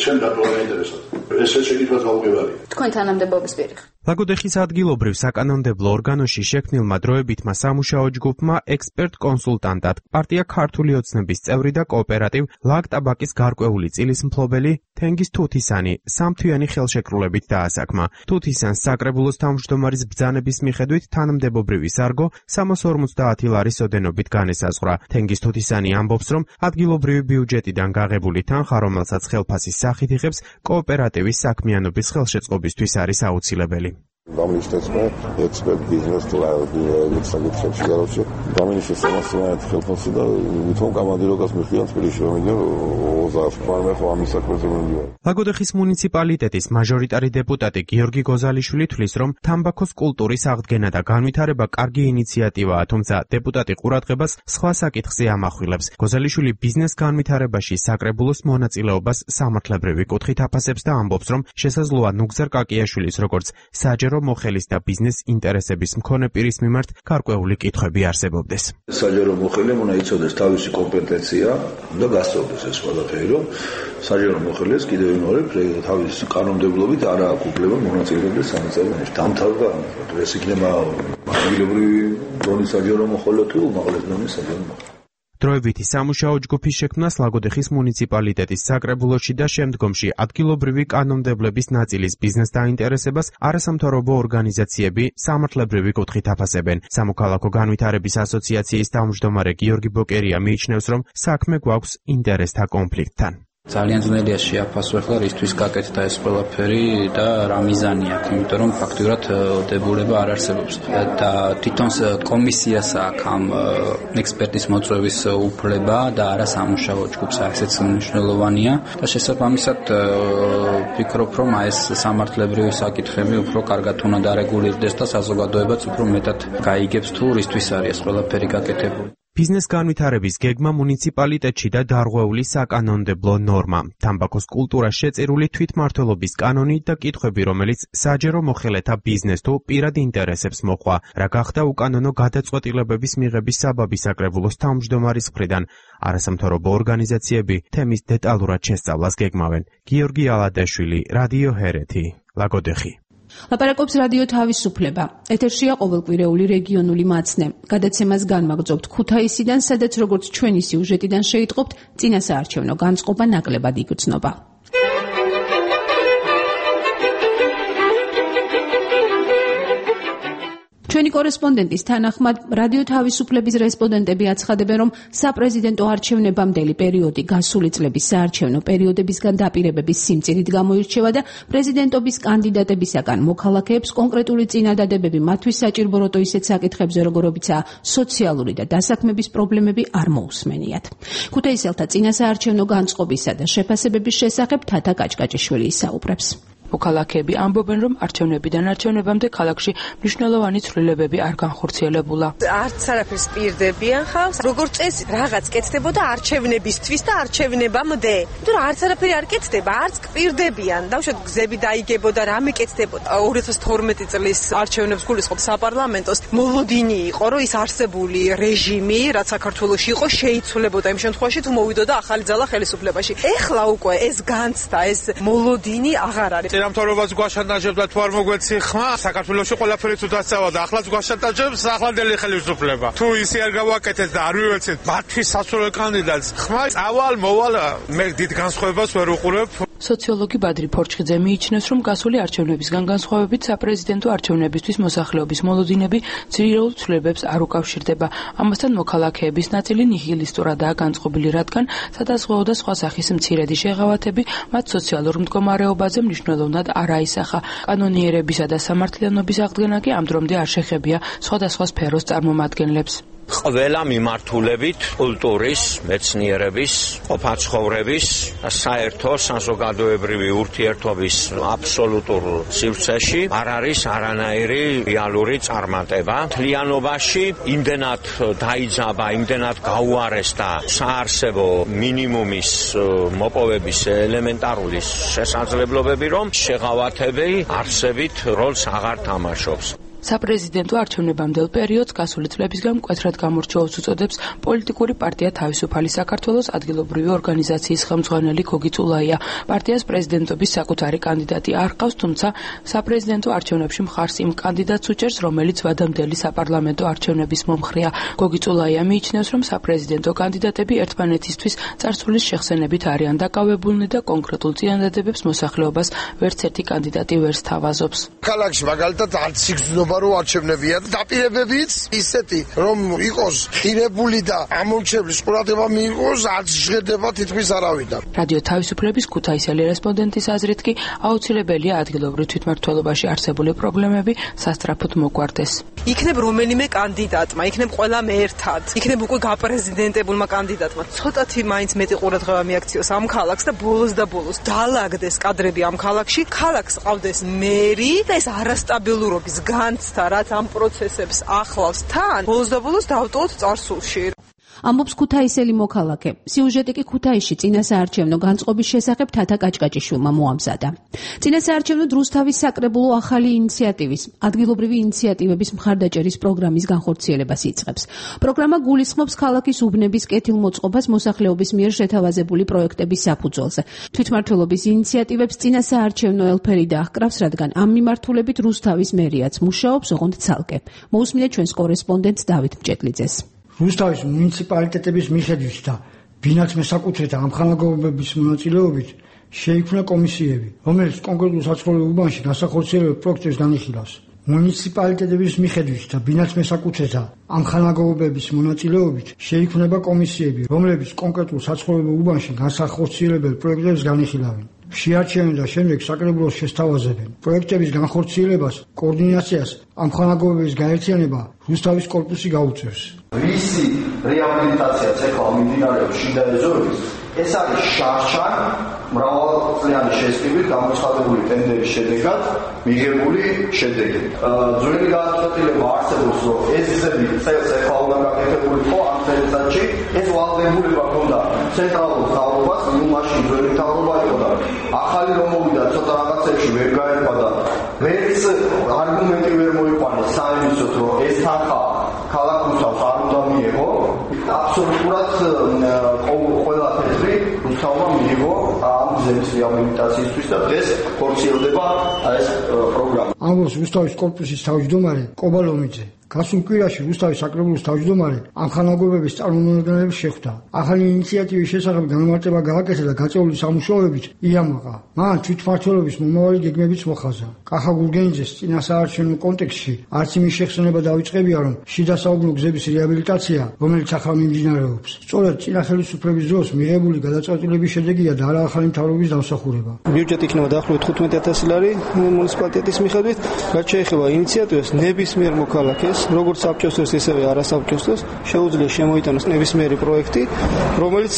ჩემ დატოვა ინტერესად. ეს შეკითხვას გაუგებარი. თქვენ თანამდებობის პირი ხართ. ლაგოდეხის ადგილობრივ საკანონმდებლო ორგანოში შექმნილმა დროებითმა სამუშაო ჯგუფმა ექსპერტ-კონსულტანტად პარტია ქართული ოცნების წევრი და კოოპერატივ ლაგტაბაკის გარკვეული წილის მფლობელი თენგიზ თუთისანი სამთვიანი ხელშეკრულებით დაასაქმა. თუთისანს საკრებულოს თავმჯდომარის ბრძანების მიხედვით თანამდებობრივი სარგო 350 ლარის ოდენობით განესაზღვრა. თენგიზ თუთისანი ამბობს, რომ ადგილობრივი ბიუჯეტიდან გაღებული თანხა, რომელსაც ხელფასის სახით იღებს, კოოპერატივის საქმიანობის ხელშეწყობისთვის არის აუცილებელი. Domnilor, expert business საკითხებში გარშე გამინიშნეს სამასწავლებლო ხელფასი და ვითომ კამადიროკას მიხდიან წილში რომ იგენ 20 პარმე ხო ამის საქმეზე მომდიო. ლაგოდეხის მუნიციპალიტეტის მაჟორიტარი დეპუტატი გიორგი გოზალიშვილი თვლის, რომ თამბაქოს კულტურის აღდგენა და განვითარება კარგი ინიციატივაა, თუმცა დეპუტატი ყურადღებას სხვა საკითხზე ამახვილებს. გოზალიშვილი ბიზნეს განვითარებაში საკრებულოს მონაწილეობას სამართლებრივი კუთხით აფასებს და ამბობს, რომ შესაძლოა ნუგზარ კაკიაშვილის როგორც საჯარო მოხელის და ბიზნეს ინტერესების მქონე პირის მიმართ გარკვეული კითხვები არსებობდეს. საჯარო მოხელემ უნდა იცოდეს თავისი კომპეტენცია და გასწორდეს ეს ყველაფერი, რომ საჯარო მოხელეს კიდევ ვიმეორებ თავისი კანონმდებლობით არ აქვს უფლება მონაწილეობდეს სამწევროში. დამთავრდა ეს იქნება ადგილობრივი დონის საჯარო მოხელე თუ უმაღლეს დონის საჯარო მოხელე. დროებითი სამუშაო ჯგუფის შექმნას ლაგოდეხის მუნიციპალიტეტის საკრებულოში და შემდგომში ადგილობრივი კანონმდებლების ნაწილის ბიზნეს დაინტერესებას არასამთავრობო ორგანიზაციები სამართლებრივი კუთხით აფასებენ. სამოქალაქო განვითარების ასოციაციის თავმჯდომარე გიორგი ბოკერია მიიჩნევს, რომ საქმე გვაქვს ინტერესთა კონფლიქტთან. ძალიან ძნელია შეაფასო ახლა რისთვის გაკეთდა ეს ყველაფერი და რა მიზანი აქვს, იმიტომ რომ ფაქტურად დებულება არ არსებობს და თვითონ კომისიას აქვს ამ ექსპერტის მოწვევის უფლება და არა სამუშაო ჯგუფს, ესეც მნიშვნელოვანია და შესაბამისად ვფიქრობ, რომ ეს სამართლებრივი საკითხები უფრო კარგად უნდა დარეგულირდეს და საზოგადოებაც უფრო მეტად გაიგებს თუ რისთვის არის ეს ყველაფერი გაკეთებული. ბიზნეს განვითარების გეგმა მუნიციპალიტეტში და დარღვეული საკანონმდებლო ნორმა, თამბაქოს კულტურა შეწირული თვითმმართველობის კანონი და კითხვები, რომელიც საჯარო მოხელეთა ბიზნეს თუ პირად ინტერესებს მოყვა, რა გახდა უკანონო გადაწყვეტილებების მიღების საბაბი საკრებულოს თავმჯდომარის მხრიდან. არასამთავრობო ორგანიზაციები თემის დეტალურად შესწავლას გეგმავენ. გიორგი ალადაშვილი, რადიო ჰერეთი, ლაგოდეხი. ლაპარაკობს რადიო თავისუფლება. ეთერშია ყოველკვირეული რეგიონული მაცნე. გადაცემას განმაგრძობთ ქუთაისიდან, სადაც როგორც ჩვენი სიუჟეტიდან შეიტყობთ, წინასაარჩევნო განწყობა ნაკლებად იგრძნობა. ჩვენი კორესპონდენტის თანახმად, რადიო თავისუფლების რესპონდენტები აცხადებენ, რომ საპრეზიდენტო არჩევნებამდელი პერიოდი გასული წლების საარჩევნო პერიოდებისგან დაპირებების სიმწირით გამოირჩევა და პრეზიდენტობის კანდიდატებისაგან მოქალაქეებს კონკრეტული წინადადებები მათთვის საჭირო როტო ისეთ საკითხებზე, როგორებიცაა სოციალური და დასაქმების პრობლემები არ მოусმენიათ. ქუთაისელთა წინასაარჩევნო განწყობისა და შეფასებების შესახებ თათა კაჭკაჭიშვილი ისაუბრებს. მოქალაქეები ამბობენ, რომ არჩევნებიდან არჩევნებამდე ქალაქში მნიშვნელოვანი ცვლილებები არ განხორციელებულა. არც არაფერს პირდებიან ხალხს, როგორც წესი რაღაც კეთდებოდა არჩევნებისთვის და არჩევნებამდე. თუ არც არაფერი არ კეთდება, არც კპირდებიან. დავუშვათ გზები დაიგებოდა, რამე კეთდებოდა. 2012 წლის არჩევნებს გულისხმობ საპარლამენტოს. მოლოდინი იყო, რომ ის არსებული რეჟიმი, რაც საქართველოში იყო, შეიცვლებოდა იმ შემთხვევაში, თუ მოვიდოდა ახალი ძალა ხელისუფლებაში. ეხლა უკვე ეს განცდა, ეს მოლოდინი აღარ არის. მთავრობას გვაშანტაჟებს და თუ არ მოგვეცი ხმა, საქართველოში ყველაფერი თუ დასწავა და ახლაც გვაშანტაჟებს ახლანდელი ხელისუფლება. თუ ისე არ გავაკეთეთ და არ ვივეცეთ მათთვის სასურველ კანდიდატს, ხმა წავალ მოვალ მე დიდ განსხვავებას ვერ უყურებ. სოციოლოგი ბადრი ფორჩხიძე მიიჩნევს, რომ გასული არჩევნებისგან განსხვავებით საპრეზიდენტო არჩევნებისთვის მოსახლეობის მოლოდინები ძირითულ ცვლილებებს არ უკავშირდება. ამასთან მოქალაქეების ნაწილი ნიჰილისტურადაა განწყობილი, რადგან სადაზღვეო და სხვა სახის მცირედი შეღავათები მათ სოციალურ მდგომარეობაზე მნიშვნელოვნად არ აისახა. კანონიერებისა და სამართლიანობის აღდგენა კი ამ დრომდე არ შეხებია სხვადასხვა სფეროს წარმომადგენლებს. ყველა მიმართულებით კულტურის, მეცნიერების, ყოფაცხოვრების, საერთო საზოგადოებრივი ურთიერთობის აბსოლუტურ სივრცეში არ არის არანაირი რეალური წარმატება. მთლიანობაში იმდენად დაიძაბა, იმდენად გაუარესდა საარსებო მინიმუმის მოპოვების ელემენტარული შესაძლებლობები, რომ შეღავათები არსებით როლს აღარ თამაშობს. საპრეზიდენტო არჩევნებამდელ პერიოდს გასული წლებისგან მკვეთრად გამორჩეულს უწოდებს პოლიტიკური პარტია თავისუფალი საქართველოს ადგილობრივი ორგანიზაციის ხელმძღვანელი გოგი წულაია. პარტიას პრეზიდენტობის საკუთარი კანდიდატი არ ჰყავს, თუმცა საპრეზიდენტო არჩევნებში მხარს იმ კანდიდატს უჭერს, რომელიც ვადამდელი საპარლამენტო არჩევნების მომხრეა. გოგი წულაია მიიჩნევს, რომ საპრეზიდენტო კანდიდატები ერთმანეთისთვის წარსულის შეხსენებით არიან დაკავებულნი და კონკრეტულ წინადადებებს მოსახლეობას ვერც ერთი კანდიდატი ვერ სთავაზობს. ქალაქში მაგალითად არც სიგრძნობა რო არჩევნებია და დაპირებებიც ისეთი რომ იყოს ღირებული და ამორჩევლის ყურადღება მიიღოს არც ჟღერდება თითქმის არავიდან. რადიო თავისუფლების ქუთაისელი რესპონდენტის აზრით კი აუცილებელია ადგილობრივ თვითმმართველობაში არსებული პრობლემები სასწრაფოდ მოგვარდეს. იქნებ რომელიმე კანდიდატმა, იქნებ ყველამ ერთად, იქნებ უკვე გაპრეზიდენტებულმა კანდიდატმა ცოტათი მაინც მეტი ყურადღება მიაქციოს ამ ქალაქს და ბოლოს დაალაგდეს კადრები ამ ქალაქში, ქალაქს ყავდეს მერი და ეს არასტაბილურობის განცდა, რაც ამ პროცესებს ახლავს თან, ბოლოს დავტოვოთ წარსულში. ამბობს ქუთაისელი მოქალაქე. სიუჟეტი კი ქუთაისში წინასაარჩევნო განწყობის შესახებ თათა კაჭკაჭიშვილმა მოამზადა. წინასაარჩევნო რუსთავის საკრებულო ახალი ინიციატივის, ადგილობრივი ინიციატივების მხარდაჭერის პროგრამის განხორციელებას იწყებს. პროგრამა გულისხმობს ქალაქის უბნების კეთილმოწყობას მოსახლეობის მიერ შეთავაზებული პროექტების საფუძველზე. თვითმმართველობის ინიციატივებს წინასაარჩევნო ელფერი დაჰკრავს, რადგან ამ მიმართულებით რუსთავის მერიაც მუშაობს, ოღონდ ცალკე. მოусმინეთ ჩვენს კორესპონდენტს დავით მჭედლიძეს. რუსთავის მუნიციპალიტეტების მიხედვით და ბინაც მესაკუთრეთა ამხანაგობების მონაწილეობით შეიქმნა კომისიები, რომელიც კონკრეტულ საცხოვრებელ უბანში განსახორციელებელ პროექტებს განიხილავს. მუნიციპალიტეტების მიხედვით და ბინაც მესაკუთრეთა ამხანაგობების მონაწილეობით შეიქმნება კომისიები, რომლებიც კონკრეტულ საცხოვრებელ უბანში განსახორციელებელ პროექტებს განიხილავენ. შეარჩევენ და შემდეგ საკრებულოს შესთავაზებენ. პროექტების განხორციელებას, კოორდინაციას, ამხანაგობების გაერთიანება რუსთავის კორპუსი გაუწევს. Visi რეაბილიტაციაც ეხლა მიმდინარეობს შიდა ეზოების. ეს არის შარშან მრავალწლიანი შესყიდვით გამოცხადებული ტენდერის შედეგად მიღებული შედეგი. ძველი განცხადება არსებობს, რომ ეს გზები წელს ეხლა უნდა გაკეთებული იყო ამ წელიწადში. ეს ვალდებულება ჰქონდა ცენტრალურ მთავრობას, მაშინ ძველი მთავრობა იყო და ახალი რომ მოვიდა ცოტა რაღაცებში ვერ გაერკვა და ვერც არგუმენტი ვერ მოიყვანეს საინისოთ, რომ ეს თანხა ქალაქ რუსთავს არ უნდა მიიღო. აბსოლუტურად ყველა თეთრი რუსთავმა მიიღო ამ გზების რეაბილიტაციისთვის და დღეს ხორციელდება ეს პროგრამა. ამბობს რუსთავის კორპუსის თავმჯდომარე კობალომიძე. გასულ კვირაში რუსთავის საკრებულოს თავმჯდომარე ამხანაგობების წარმომადგენლებს შეხვდა. ახალი ინიციატივის შესახებ განმარტება გააკეთა და გაწეული სამუშაოებით იამაყა. მან თვითმმართველობის მომავალი გეგმებიც მოხაზა. კახა გურგენიძეს წინასაარჩევნო კონტექსტში არც იმის შეხსენება დაიწყებია, რომ შიდა საუკუნო გზების რეაბილიტაცია, რომელიც ახლა მიმდინარეობს, სწორედ წინა ხელისუფლების დროს მიღებული გადაწყვეტილების შედეგია და არა ახალი მთავრობის დამსახურება. ბიუჯეტი იქნება დაახლოებით 15,000 ლარი მუნიციპალიტეტის მიხედვით. რაც შეეხება ინიციატივას, ნებისმიერ მოქალაქეს როგორც საბჭოსთვის, ისევე არასაბჭოსთვის შეუძლია შემოიტანოს ნებისმიერი პროექტი, რომელიც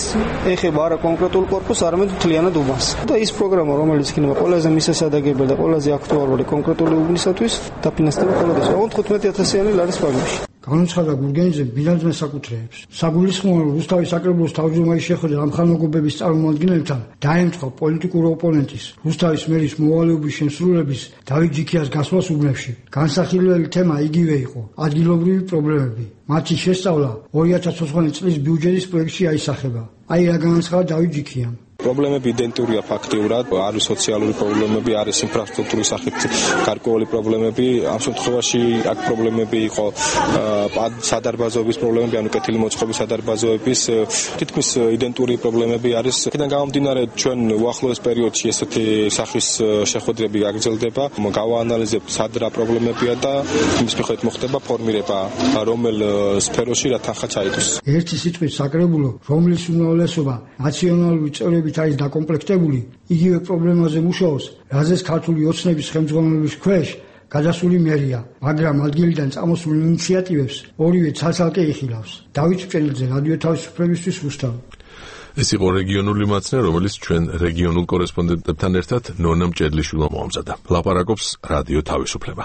ეხება არა კონკრეტულ კორპუსს, არამედ მთლიანად უბანს. და ის პროგრამა, რომელიც იქნება ყველაზე მისასადაგებელი და ყველაზე აქტუალური კონკრეტული უბნისათვის, დაფინანსდება ყოველთვის 15,000 ლარის ფარგლებში. განუცხადა გურგენიძემ ბინადს მესაკუთრეებს. საგულისხმოა, რომ რუსთავის საკრებულოს თავმჯდომარე შეხვედრა ამხანაგობების წარმომადგენლებთან დაემთხვა პოლიტიკურ ოპონენტის, რუსთავის მერის მოვალეობის შემსრულების დავით ჯიქიას გასვლას უბნებში. განსახილველი თემა იგივე იყო: ადგილობრივი პრობლემები. მათი შესწავლა 2020 წლის ბიუჯეტის პროექტში აისახება. აი რა განაცხადა დავით ჯიქიამ. პრობლემები იდენტურია ფაქტიურად, არის სოციალური პრობლემები, არის ინფრასტრუქტურის სახით გარკვეული პრობლემები. ამ შემთხვევაში აქ პრობლემები იყო სადარბაზოების პრობლემები, ანუ კეთილი მოწყობის სადარბაზოების, თითქმის იდენტური პრობლემები არის. აქედან გამომდინარე, ჩვენ უახლოეს პერიოდში ესეთი სახის შეხვედრები გაგრძელდება, გავაანალიზებთ სად რა პრობლემებია და იმის მიხედვით მოხდება ფორმირება, რომელ სფეროში რა თანხა ჩაიდოს. ერთი სიტყვით საკრებულო, რომლის უმრავლესობა ნაციონალური წევრებით არის დაკომპლექტებული, იგივე პრობლემაზე მუშაობს, რაზეც ქართული ოცნების ხელმძღვანელობის ქვეშ გადასული მერია, მაგრამ ადგილიდან წამოსულ ინიციატივებს ორივე ცალ-ცალკე იხილავს. დავით მჭედლიძე, რადიო თავისუფლებისთვის რუსთავი. ეს იყო რეგიონული მაცნე, რომელიც ჩვენ რეგიონულ კორესპონდენტებთან ერთად ნონა მჭედლიშვილმა მოამზადა. ლაპარაკობს რადიო თავისუფლება.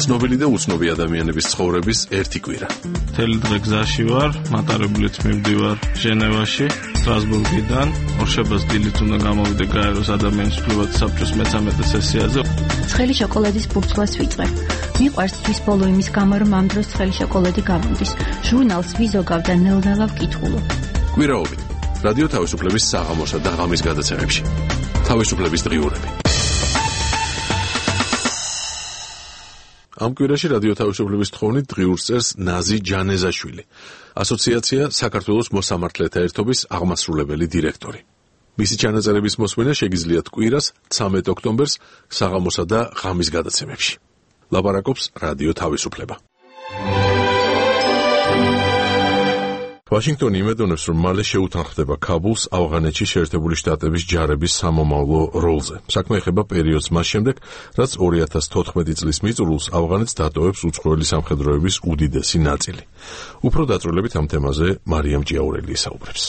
ცნობილი და უცნობი ადამიანების ცხოვრების ერთი კვირა. მთელი დღე გზაში ვარ, მატარებლით მივდივარ ჟენევაში, სტრასბურგიდან. ორშაბათს დილით უნდა გამოვიდე გაეროს ადამიანის უფლებათა საბჭოს მე-13 სესიაზე. ცხელი შოკოლადის ბურცლას ვიწყებ. მიყვარს თვის ბოლო იმის გამო, რომ ამ დროს ცხელი შოკოლადი გამომდის. ჟურნალს ვიზოგავ და ნელ-ნელა ვკითხულობ. კვირაობით რადიო თავისუფლების საღამოსა და ღამის გადაცემებში. თავისუფლების დღიურები. ამ კვირაში რადიო თავისუფლების თხოვნით დღიურს წერს ნაზი ჯანეზაშვილი, ასოციაცია საქართველოს მოსამართლეთა ერთობის აღმასრულებელი დირექტორი. მისი ჩანაწერების მოსმენა შეგიძლიათ კვირას 13 ოქტომბერს საღამოსა და ღამის გადაცემებში. ლაპარაკობს რადიო თავისუფლება. ვაშინგტონი იმედოვნებს, რომ მალე შეუთანხმდება ქაბულს ავღანეთში შეერთებული შტატების ჯარების სამომავლო როლზე. საქმე ეხება პერიოდს მას შემდეგ, რაც 2014 წლის მიწურულს ავღანეთს დატოვებს უცხოელი სამხედროების უდიდესი ნაწილი. უფრო დაწვრილებით ამ თემაზე მარიამ ჭიაურელი ისაუბრებს.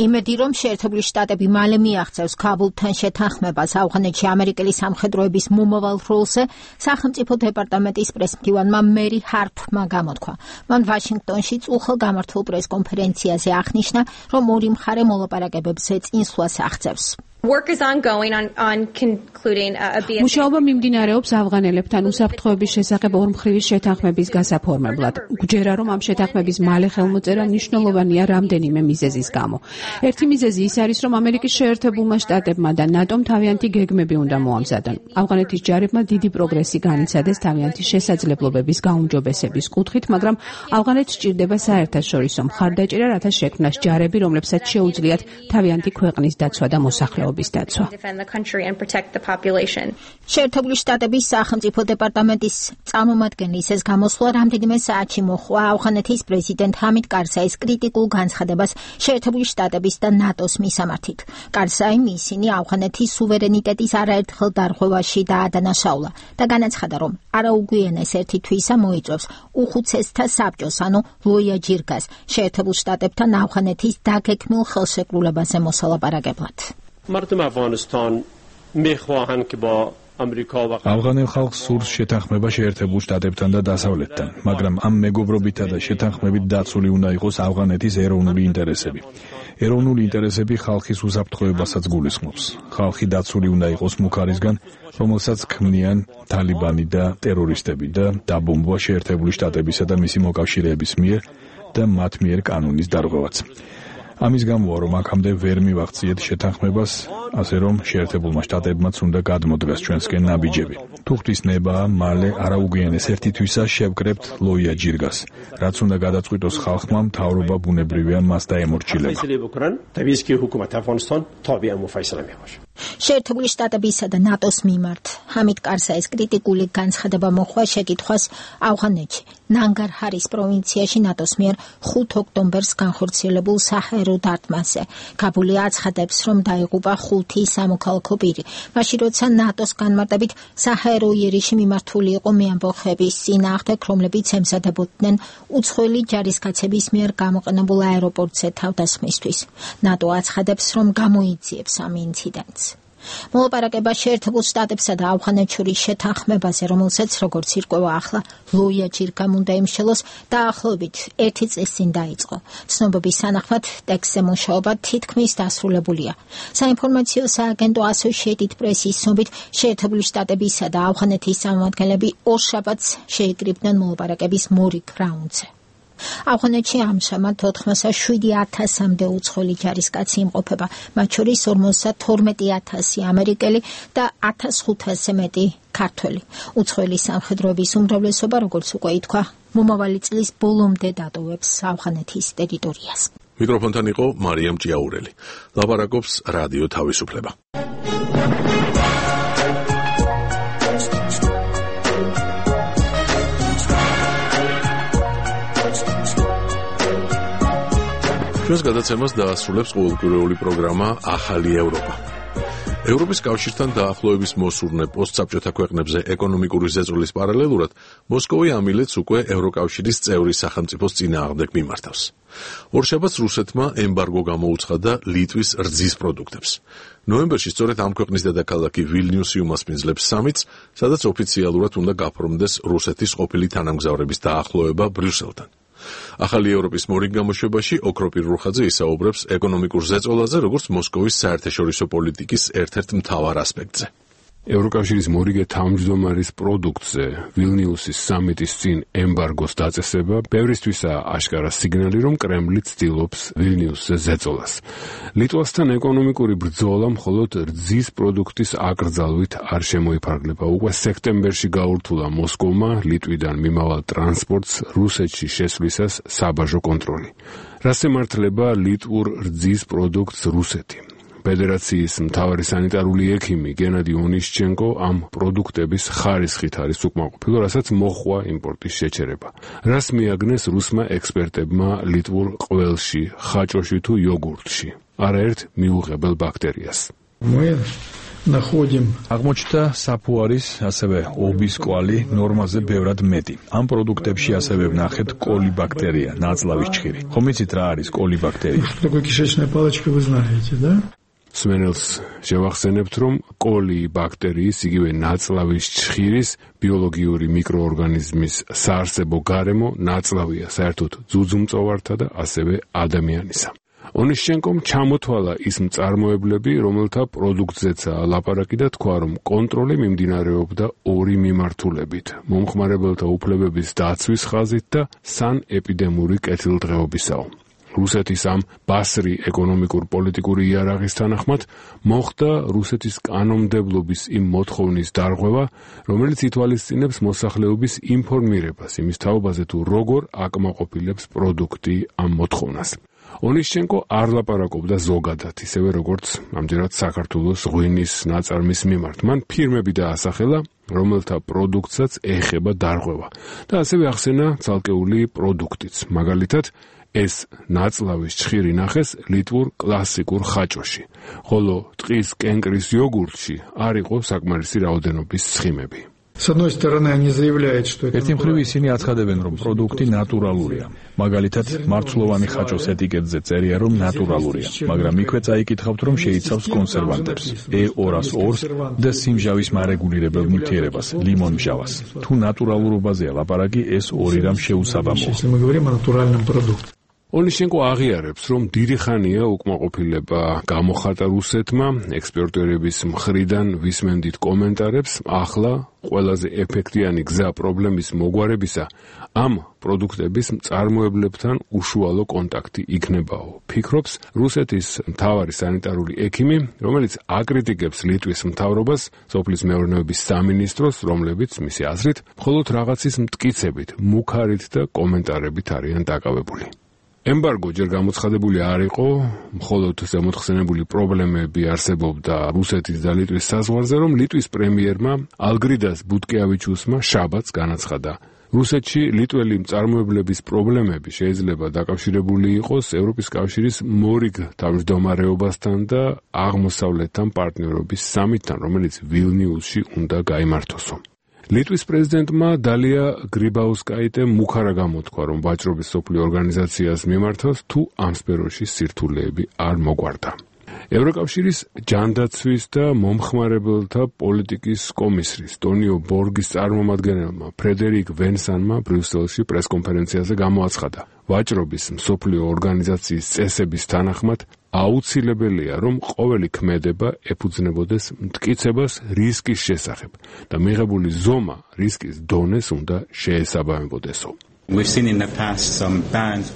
იმედი, რომ შეერთებული შტატები მალე მიაღწევს ქაბულთან შეთანხმებას ავღანეთში ამერიკელი სამხედროების მომავალ როლზე, სახელმწიფო დეპარტამენტის პრესმდივანმა მერი ჰართმა გამოთქვა. მან ვაშინგტონში წუხელ გამართულ პრესკონფერენციაზე აღნიშნა, რომ ორი მხარე მოლაპარაკებებზე წინსვლას აღწევს. მუშაობა მიმდინარეობს ავღანელებთან უსაფრთხოების შესახებ ორმხრივი შეთანხმების გასაფორმებლად. გვჯერა, რომ ამ შეთანხმების მალე ხელმოწერა მნიშვნელოვანია რამდენიმე მიზეზის გამო. ერთი მიზეზი ის არის, რომ ამერიკის შეერთებულმა შტატებმა და ნატომ თავიანთი გეგმები უნდა მოამზადონ. ავღანეთის ჯარებმა დიდი პროგრესი განიცადეს თავიანთი შესაძლებლობების გაუმჯობესების კუთხით, მაგრამ ავღანეთს სჭირდება საერთაშორისო მხარდაჭერა, რათა შექმნას ჯარები, რომლებსაც შეუძლიათ თავიანთი ქვეყნის დაცვა და მოსახლეობა. შეერთებული შტატების სახელმწიფო დეპარტამენტის წარმომადგენლის ეს გამოსვლა რამდენიმე საათში მოჰყვა ავღანეთის პრეზიდენტ ჰამიდ კარზაის კრიტიკულ განცხადებას შეერთებული შტატების და ნატოს მისამართით. კარზაიმ ისინი ავღანეთის სუვერენიტეტის არაერთხელ დარღვევაში დაადანაშაულა და განაცხადა, რომ არაუგვიანეს ერთი თვისა მოიწვევს უხუცესთა საბჭოს, ანუ ლოია ჯირგას, შეერთებულ შტატებთან ავღანეთის დაგეგმილ ხელშეკრულებაზე მოსალაპარაკებლად. مردم افغانستان میخواهند که با ავღანელ ხალხს სურს შეთანხმება შეერთებულ შტატებთან და დასავლეთთან, მაგრამ ამ მეგობრობითა და შეთანხმებით დაცული უნდა იყოს ავღანეთის ეროვნული ინტერესები. ეროვნული ინტერესები ხალხის უსაფრთხოებასაც გულისხმობს. ხალხი დაცული უნდა იყოს მუქარისგან, რომელსაც ქმნიან თალიბანი და ტერორისტები და დაბომბვა შეერთებული შტატებისა და მისი მოკავშირეების მიერ და მათ მიერ კანონის დარღვევაც. ამის გამოა, რომ აქამდე ვერ მივაღწიეთ შეთანხმებას, ასე რომ შეერთებულმა შტატებმაც უნდა გადმოდგას ჩვენსკენ ნაბიჯები. თუ ღვთის ნებაა, მალე არაუგვიანეს ერთი თვისა შევკრებთ ლოია ჯირგას, რაც უნდა გადაწყვიტოს ხალხმა, მთავრობა ბუნებრივია მას დაემორჩილება. შეერთებული შტატებისა და ნატოს მიმართ ჰამიდ კარზაის კრიტიკული განცხადება მოჰყვა შეკითხვას ავღანეთში ნანგარჰარის პროვინციაში ნატოს მიერ 5 ოქტომბერს განხორციელებულ საჰაერო დარტყმაზე. კაბული აცხადებს, რომ დაიღუპა 5 სამოქალაქო პირი, მაშინ როცა ნატოს განმარტებით საჰაერო იერიში მიმართული იყო მეამბოხების წინააღმდეგ, რომლებიც ემზადებოდნენ უცხოელი ჯარისკაცების მიერ გამოყენებულ აეროპორტზე თავდასხმისთვის. ნატო აცხადებს, რომ გამოიძიებს ამ ინციდენტს. მოლაპარაკება შეერთებულ შტატებსა და ავღანეთს შორის შეთანხმებაზე, რომელსაც როგორც ირკვევა ახლა ლოია ჯირგამ უნდა იმშელოს, დაახლოებით 1 წლის წინ დაიწყო. ცნობების თანახმად ტექსტზე მუშაობა თითქმის დასრულებულია. საინფორმაციო სააგენტო Associated Press-ის ცნობით, შეერთებული შტატებისა და ავღანეთის წარმომადგენლები ორშაბათს შეიკრიბნენ მოლაპარაკების მორიგ რაუნდზე. ავღანეთში ამჟამად 87,000-მდე უცხოელი ჯარისკაცი იმყოფება, მათ შორის 52,000 ამერიკელი და 1,500-ზე მეტი ქართველი. უცხოელი სამხედროების უმრავლესობა, როგორც უკვე ითქვა, მომავალი წლის ბოლომდე დატოვებს ავღანეთის ტერიტორიას. მიკროფონთან იყო მარიამ ჭიაურელი. ლაპარაკობს რადიო თავისუფლება. ჩვენს გადაცემას დაასრულებს ყოველკვირეული პროგრამა ახალი ევროპა. ევროპის კავშირთან დაახლოების მოსურნე პოსტსაბჭოთა ქვეყნებზე ეკონომიკური ზეწოლის პარალელურად მოსკოვი ამილეთს უკვე ევროკავშირის წევრი სახელმწიფოს წინააღმდეგ მიმართავს. ორშაბათს რუსეთმა ემბარგო გამოუცხადა ლიტვის რძის პროდუქტებს. ნოემბერში სწორედ ამ ქვეყნის დედაქალაქი ვილნიუსი უმასპინძლებს სამიტს, სადაც ოფიციალურად უნდა გაფორმდეს რუსეთის ყოფილი თანამგზავრების დაახლოება ბრიუსელთან. ახალი ევროპის მორიგ გამოშვებაში ოქროპირ რუხაძე ისაუბრებს ეკონომიკურ ზეწოლაზე, როგორც მოსკოვის საერთაშორისო პოლიტიკის ერთ-ერთ მთავარ ასპექტზე. ევროკავშირის მორიგე თავმჯდომარის პროდუქტზე ვილნიუსის სამიტის წინ ემბარგოს დაწესება ბევრისთვისაა აშკარა სიგნალი, რომ კრემლი ცდილობს ვილნიუსზე ზეწოლას. ლიტვასთან ეკონომიკური ბრძოლა მხოლოდ რძის პროდუქტის აკრძალვით არ შემოიფარგლება. უკვე სექტემბერში გაურთულა მოსკოვმა ლიტვიდან მიმავალ ტრანსპორტს რუსეთში შესვლისას საბაჟო კონტროლი. რას ემართლება ლიტვურ რძის პროდუქტს რუსეთი? ფედერაციის მთავარი სანიტარული ექიმი გენადი ონიშჩენკო ამ პროდუქტების ხარისხით არის უკმაყოფილო, რასაც მოჰყვა იმპორტის შეჩერება. რას მიაგნეს რუსმა ექსპერტებმა ლიტვურ ყველში, ხაჭოში თუ იოგურტში? არაერთ მიუღებელ ბაქტერიას. აღმოჩნდა საფუარის, ასევე ობის კვალი ნორმაზე ბევრად მეტი. ამ პროდუქტებში ასევე ვნახეთ კოლიბაქტერია, ნაწლავის ჩხირი. ხომ იცით რა არის კოლიბაქტერია? სმენელს შევახსენებთ, რომ კოლიბაქტერიის, იგივე ნაწლავის ჩხირის ბიოლოგიური მიკროორგანიზმის საარსებო გარემო ნაწლავია საერთოდ ძუძუმწოვართა და ასევე ადამიანისა. ონიშჩენკომ ჩამოთვალა ის მწარმოებლები, რომელთა პროდუქტზეცაა ლაპარაკი და თქვა, რომ კონტროლი მიმდინარეობდა ორი მიმართულებით: მომხმარებელთა უფლებების დაცვის ხაზით და სანეპიდემიური კეთილდღეობისაო. რუსეთის ამ ბასრი ეკონომიკურ-პოლიტიკური იარაღის თანახმად მოხდა რუსეთის კანონმდებლობის იმ მოთხოვნის დარღვევა, რომელიც ითვალისწინებს მოსახლეობის ინფორმირებას იმის თაობაზე, თუ როგორ აკმაყოფილებს პროდუქტი ამ მოთხოვნას. ონიშჩენკო არ ლაპარაკობდა ზოგადად, ისევე როგორც ამჯერად საქართველოს ღვინის ნაწარმის მიმართ. მან ფირმები დაასახელა, რომელთა პროდუქტსაც ეხება დარღვევა და ასევე ახსენა ცალკეული პროდუქტიც. მაგალითად, ეს ნაწლავის ჩხირი ნახეს ლიტვურ კლასიკურ ხაჭოში, ხოლო ტყის კენკრის იოგურტში არ იყო საკმარისი რაოდენობის ცხიმები. ერთი მხრივ ისინი აცხადებენ, რომ პროდუქტი ნატურალურია. მაგალითად, მარცვლოვანი ხაჭოს ეტიკეტზე წერია, რომ ნატურალურია, მაგრამ იქვე წაიკითხავთ, რომ შეიცავს კონსერვანტებს, E202-ს და სიმჟავის მარეგულირებელ ნივთიერებას, ლიმონმჟავას. თუ ნატურალურობაზეა ლაპარაკი, ეს ორი რამ შეუსაბამოა. ონიშჩენკო აღიარებს, რომ დიდი ხანია უკმაყოფილება გამოხატა რუსეთმა, ექსპერტების მხრიდან ვისმენდით კომენტარებს, ახლა ყველაზე ეფექტიანი გზა პრობლემის მოგვარებისა ამ პროდუქტების მწარმოებლებთან უშუალო კონტაქტი იქნებაო. ფიქრობს რუსეთის მთავარი სანიტარული ექიმი, რომელიც აკრიტიკებს ლიტვის მთავრობას, სოფლის მეურნეობის სამინისტროს, რომლებიც მისი აზრით მხოლოდ რაღაცის მტკიცებით, მუქარით და კომენტარებით არიან დაკავებული. ემბარგო ჯერ გამოცხადებული არ იყო, მხოლოდ ზემოთხსენებული პრობლემები არსებობდა რუსეთის და ლიტვის საზღვარზე, რომ ლიტვის პრემიერმა ალგრიდას ბუტკეავიჩუსმა შაბათს განაცხადა. რუსეთში ლიტველი მწარმოებლების პრობლემები შეიძლება დაკავშირებული იყოს ევროპის კავშირის მორიგ თავმჯდომარეობასთან და აღმოსავლეთთან პარტნიორობის სამიტთან, რომელიც ვილნიუსში უნდა გაიმართოსო. ლიტვის პრეზიდენტმა დალია გრიბაუსკაიტემ მუქარა გამოთქვა, რომ ვაჭრობის სოფლიო ორგანიზაციას მიმართავს, თუ ამ სფეროში სირთულეები არ მოგვარდა. ევროკავშირის ჯანდაცვის და მომხმარებელთა პოლიტიკის კომისრის ტონიო ბორგის წარმომადგენელმა ფრედერიკ ვენსანმა ბრიუსელში პრესკონფერენციაზე გამოაცხადა, ვაჭრობის მსოფლიო ორგანიზაციის წესების თანახმად აუცილებელია, რომ ყოველი ქმედება ეფუძნებოდეს მტკიცებას რისკის შესახებ და მიღებული ზომა რისკის დონეს უნდა შეესაბამებოდესო.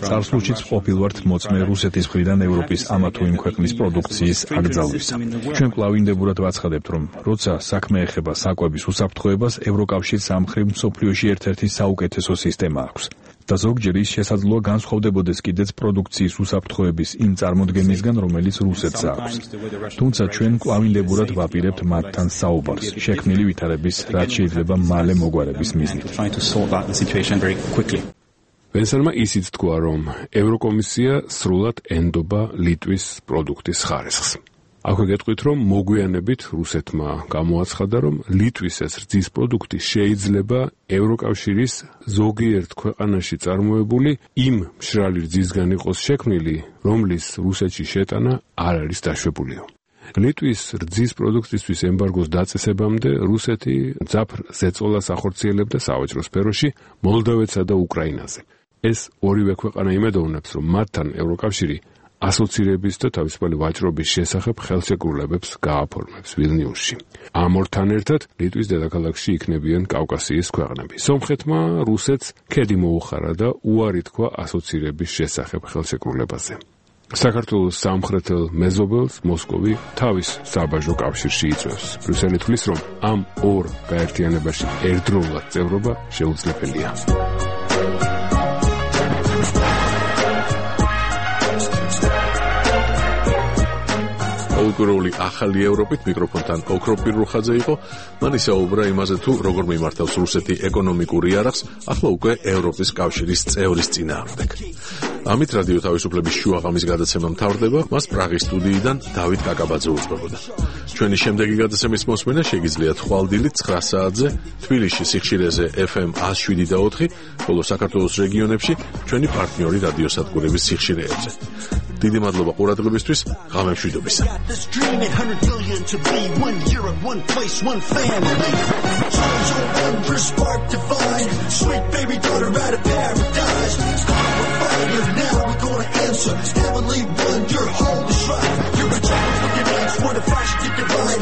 წარსულშიც ყოფილვართ მოწმე რუსეთის მხრიდან ევროპის ამა თუ იმ ქვეყნის პროდუქციის აკრძალვისა. ჩვენ კლავინდებურად ვაცხადებთ, რომ როცა საქმე ეხება საკვების უსაფრთხოებას, ევროკავშირს ამ მხრივ მსოფლიოში ერთ-ერთი საუკეთესო სისტემა აქვს. და ზოგჯერ ის შესაძლოა განსხვავდებოდეს კიდეც პროდუქციის უსაფრთხოების იმ წარმოდგენისგან, რომელიც რუსეთს აქვს. თუმცა ჩვენ კლავინდებურად ვაპირებთ მათთან საუბარს, შექმნილი ვითარების, რაც შეიძლება მალე მოგვარების მიზნით. ვენსანმა ისიც თქვა, რომ ევროკომისია სრულად ენდობა ლიტვის პროდუქტის ხარისხს. აქვე გეტყვით, რომ მოგვიანებით რუსეთმა გამოაცხადა, რომ ლიტვის ეს რძის პროდუქტი შეიძლება ევროკავშირის ზოგიერთ ქვეყანაში წარმოებული იმ მშრალი რძისგან იყოს შექმნილი, რომლის რუსეთში შეტანა არ არის დაშვებულიო. ლიტვის რძის პროდუქტისთვის ემბარგოს დაწესებამდე რუსეთი მძაფრ ზეწოლას ახორციელებდა სავაჭრო სფეროში მოლდოვეთსა და უკრაინაზე. ეს ორივე ქვეყანა იმედოვნებს, რომ მათთან ევროკავშირი ასოცირების და თავისუფალი ვაჭრობის შესახებ ხელშეკრულებებს გააფორმებს ვილნიუსში. ამ ორთან ერთად ლიტვის დედაქალაქში იქნებიან კავკასიის ქვეყნები. სომხეთმა რუსეთს ქედი მოუხარა და უარი თქვა ასოცირების შესახებ ხელშეკრულებაზე. საქართველოს სამხრეთელ მეზობელს მოსკოვი თავის საბაჟო კავშირში იწვევს. ბრიუსელი თვლის, რომ ამ ორ გაერთიანებაში ერთდროულად წევრობა შეუძლებელია. პოლიტიკური ახალი ევროპით მიკროფონთან ოქრო პირუხაძე იყო. მან ისაუბრა იმაზე, თუ როგორ მიმართავს რუსეთი ეკონომიკურ იარაღს, ახლა უკვე ევროპის კავშირის წევრის წინააღმდეგ. ამით რადიო თავისუფლების შუაღამის გადაცემა მთავრდება. მას პრაღის სტუდიიდან დავით კაკაბაძე უძღვებოდა. ჩვენი შემდეგი გადაცემის მოსმენა შეგიძლიათ ხვალდილით 9 საათზე თბილისში სიხშირეზე FM 107.4, ხოლო საქართველოს რეგიონებში ჩვენი პარტნიორი რადიოსადგურების სიხშირეებზე. დიდი მადლობა ყურადღებისთვის. ღამემშვიდობისა. This dream 800 billion to be 1 Europe, 1 place, 1 family. Souls your wonder spark divine. Sweet baby daughter out of paradise. Start a fire now, we're gonna answer. Heavenly one, your home is right. You're a child looking at what a fashion you divine.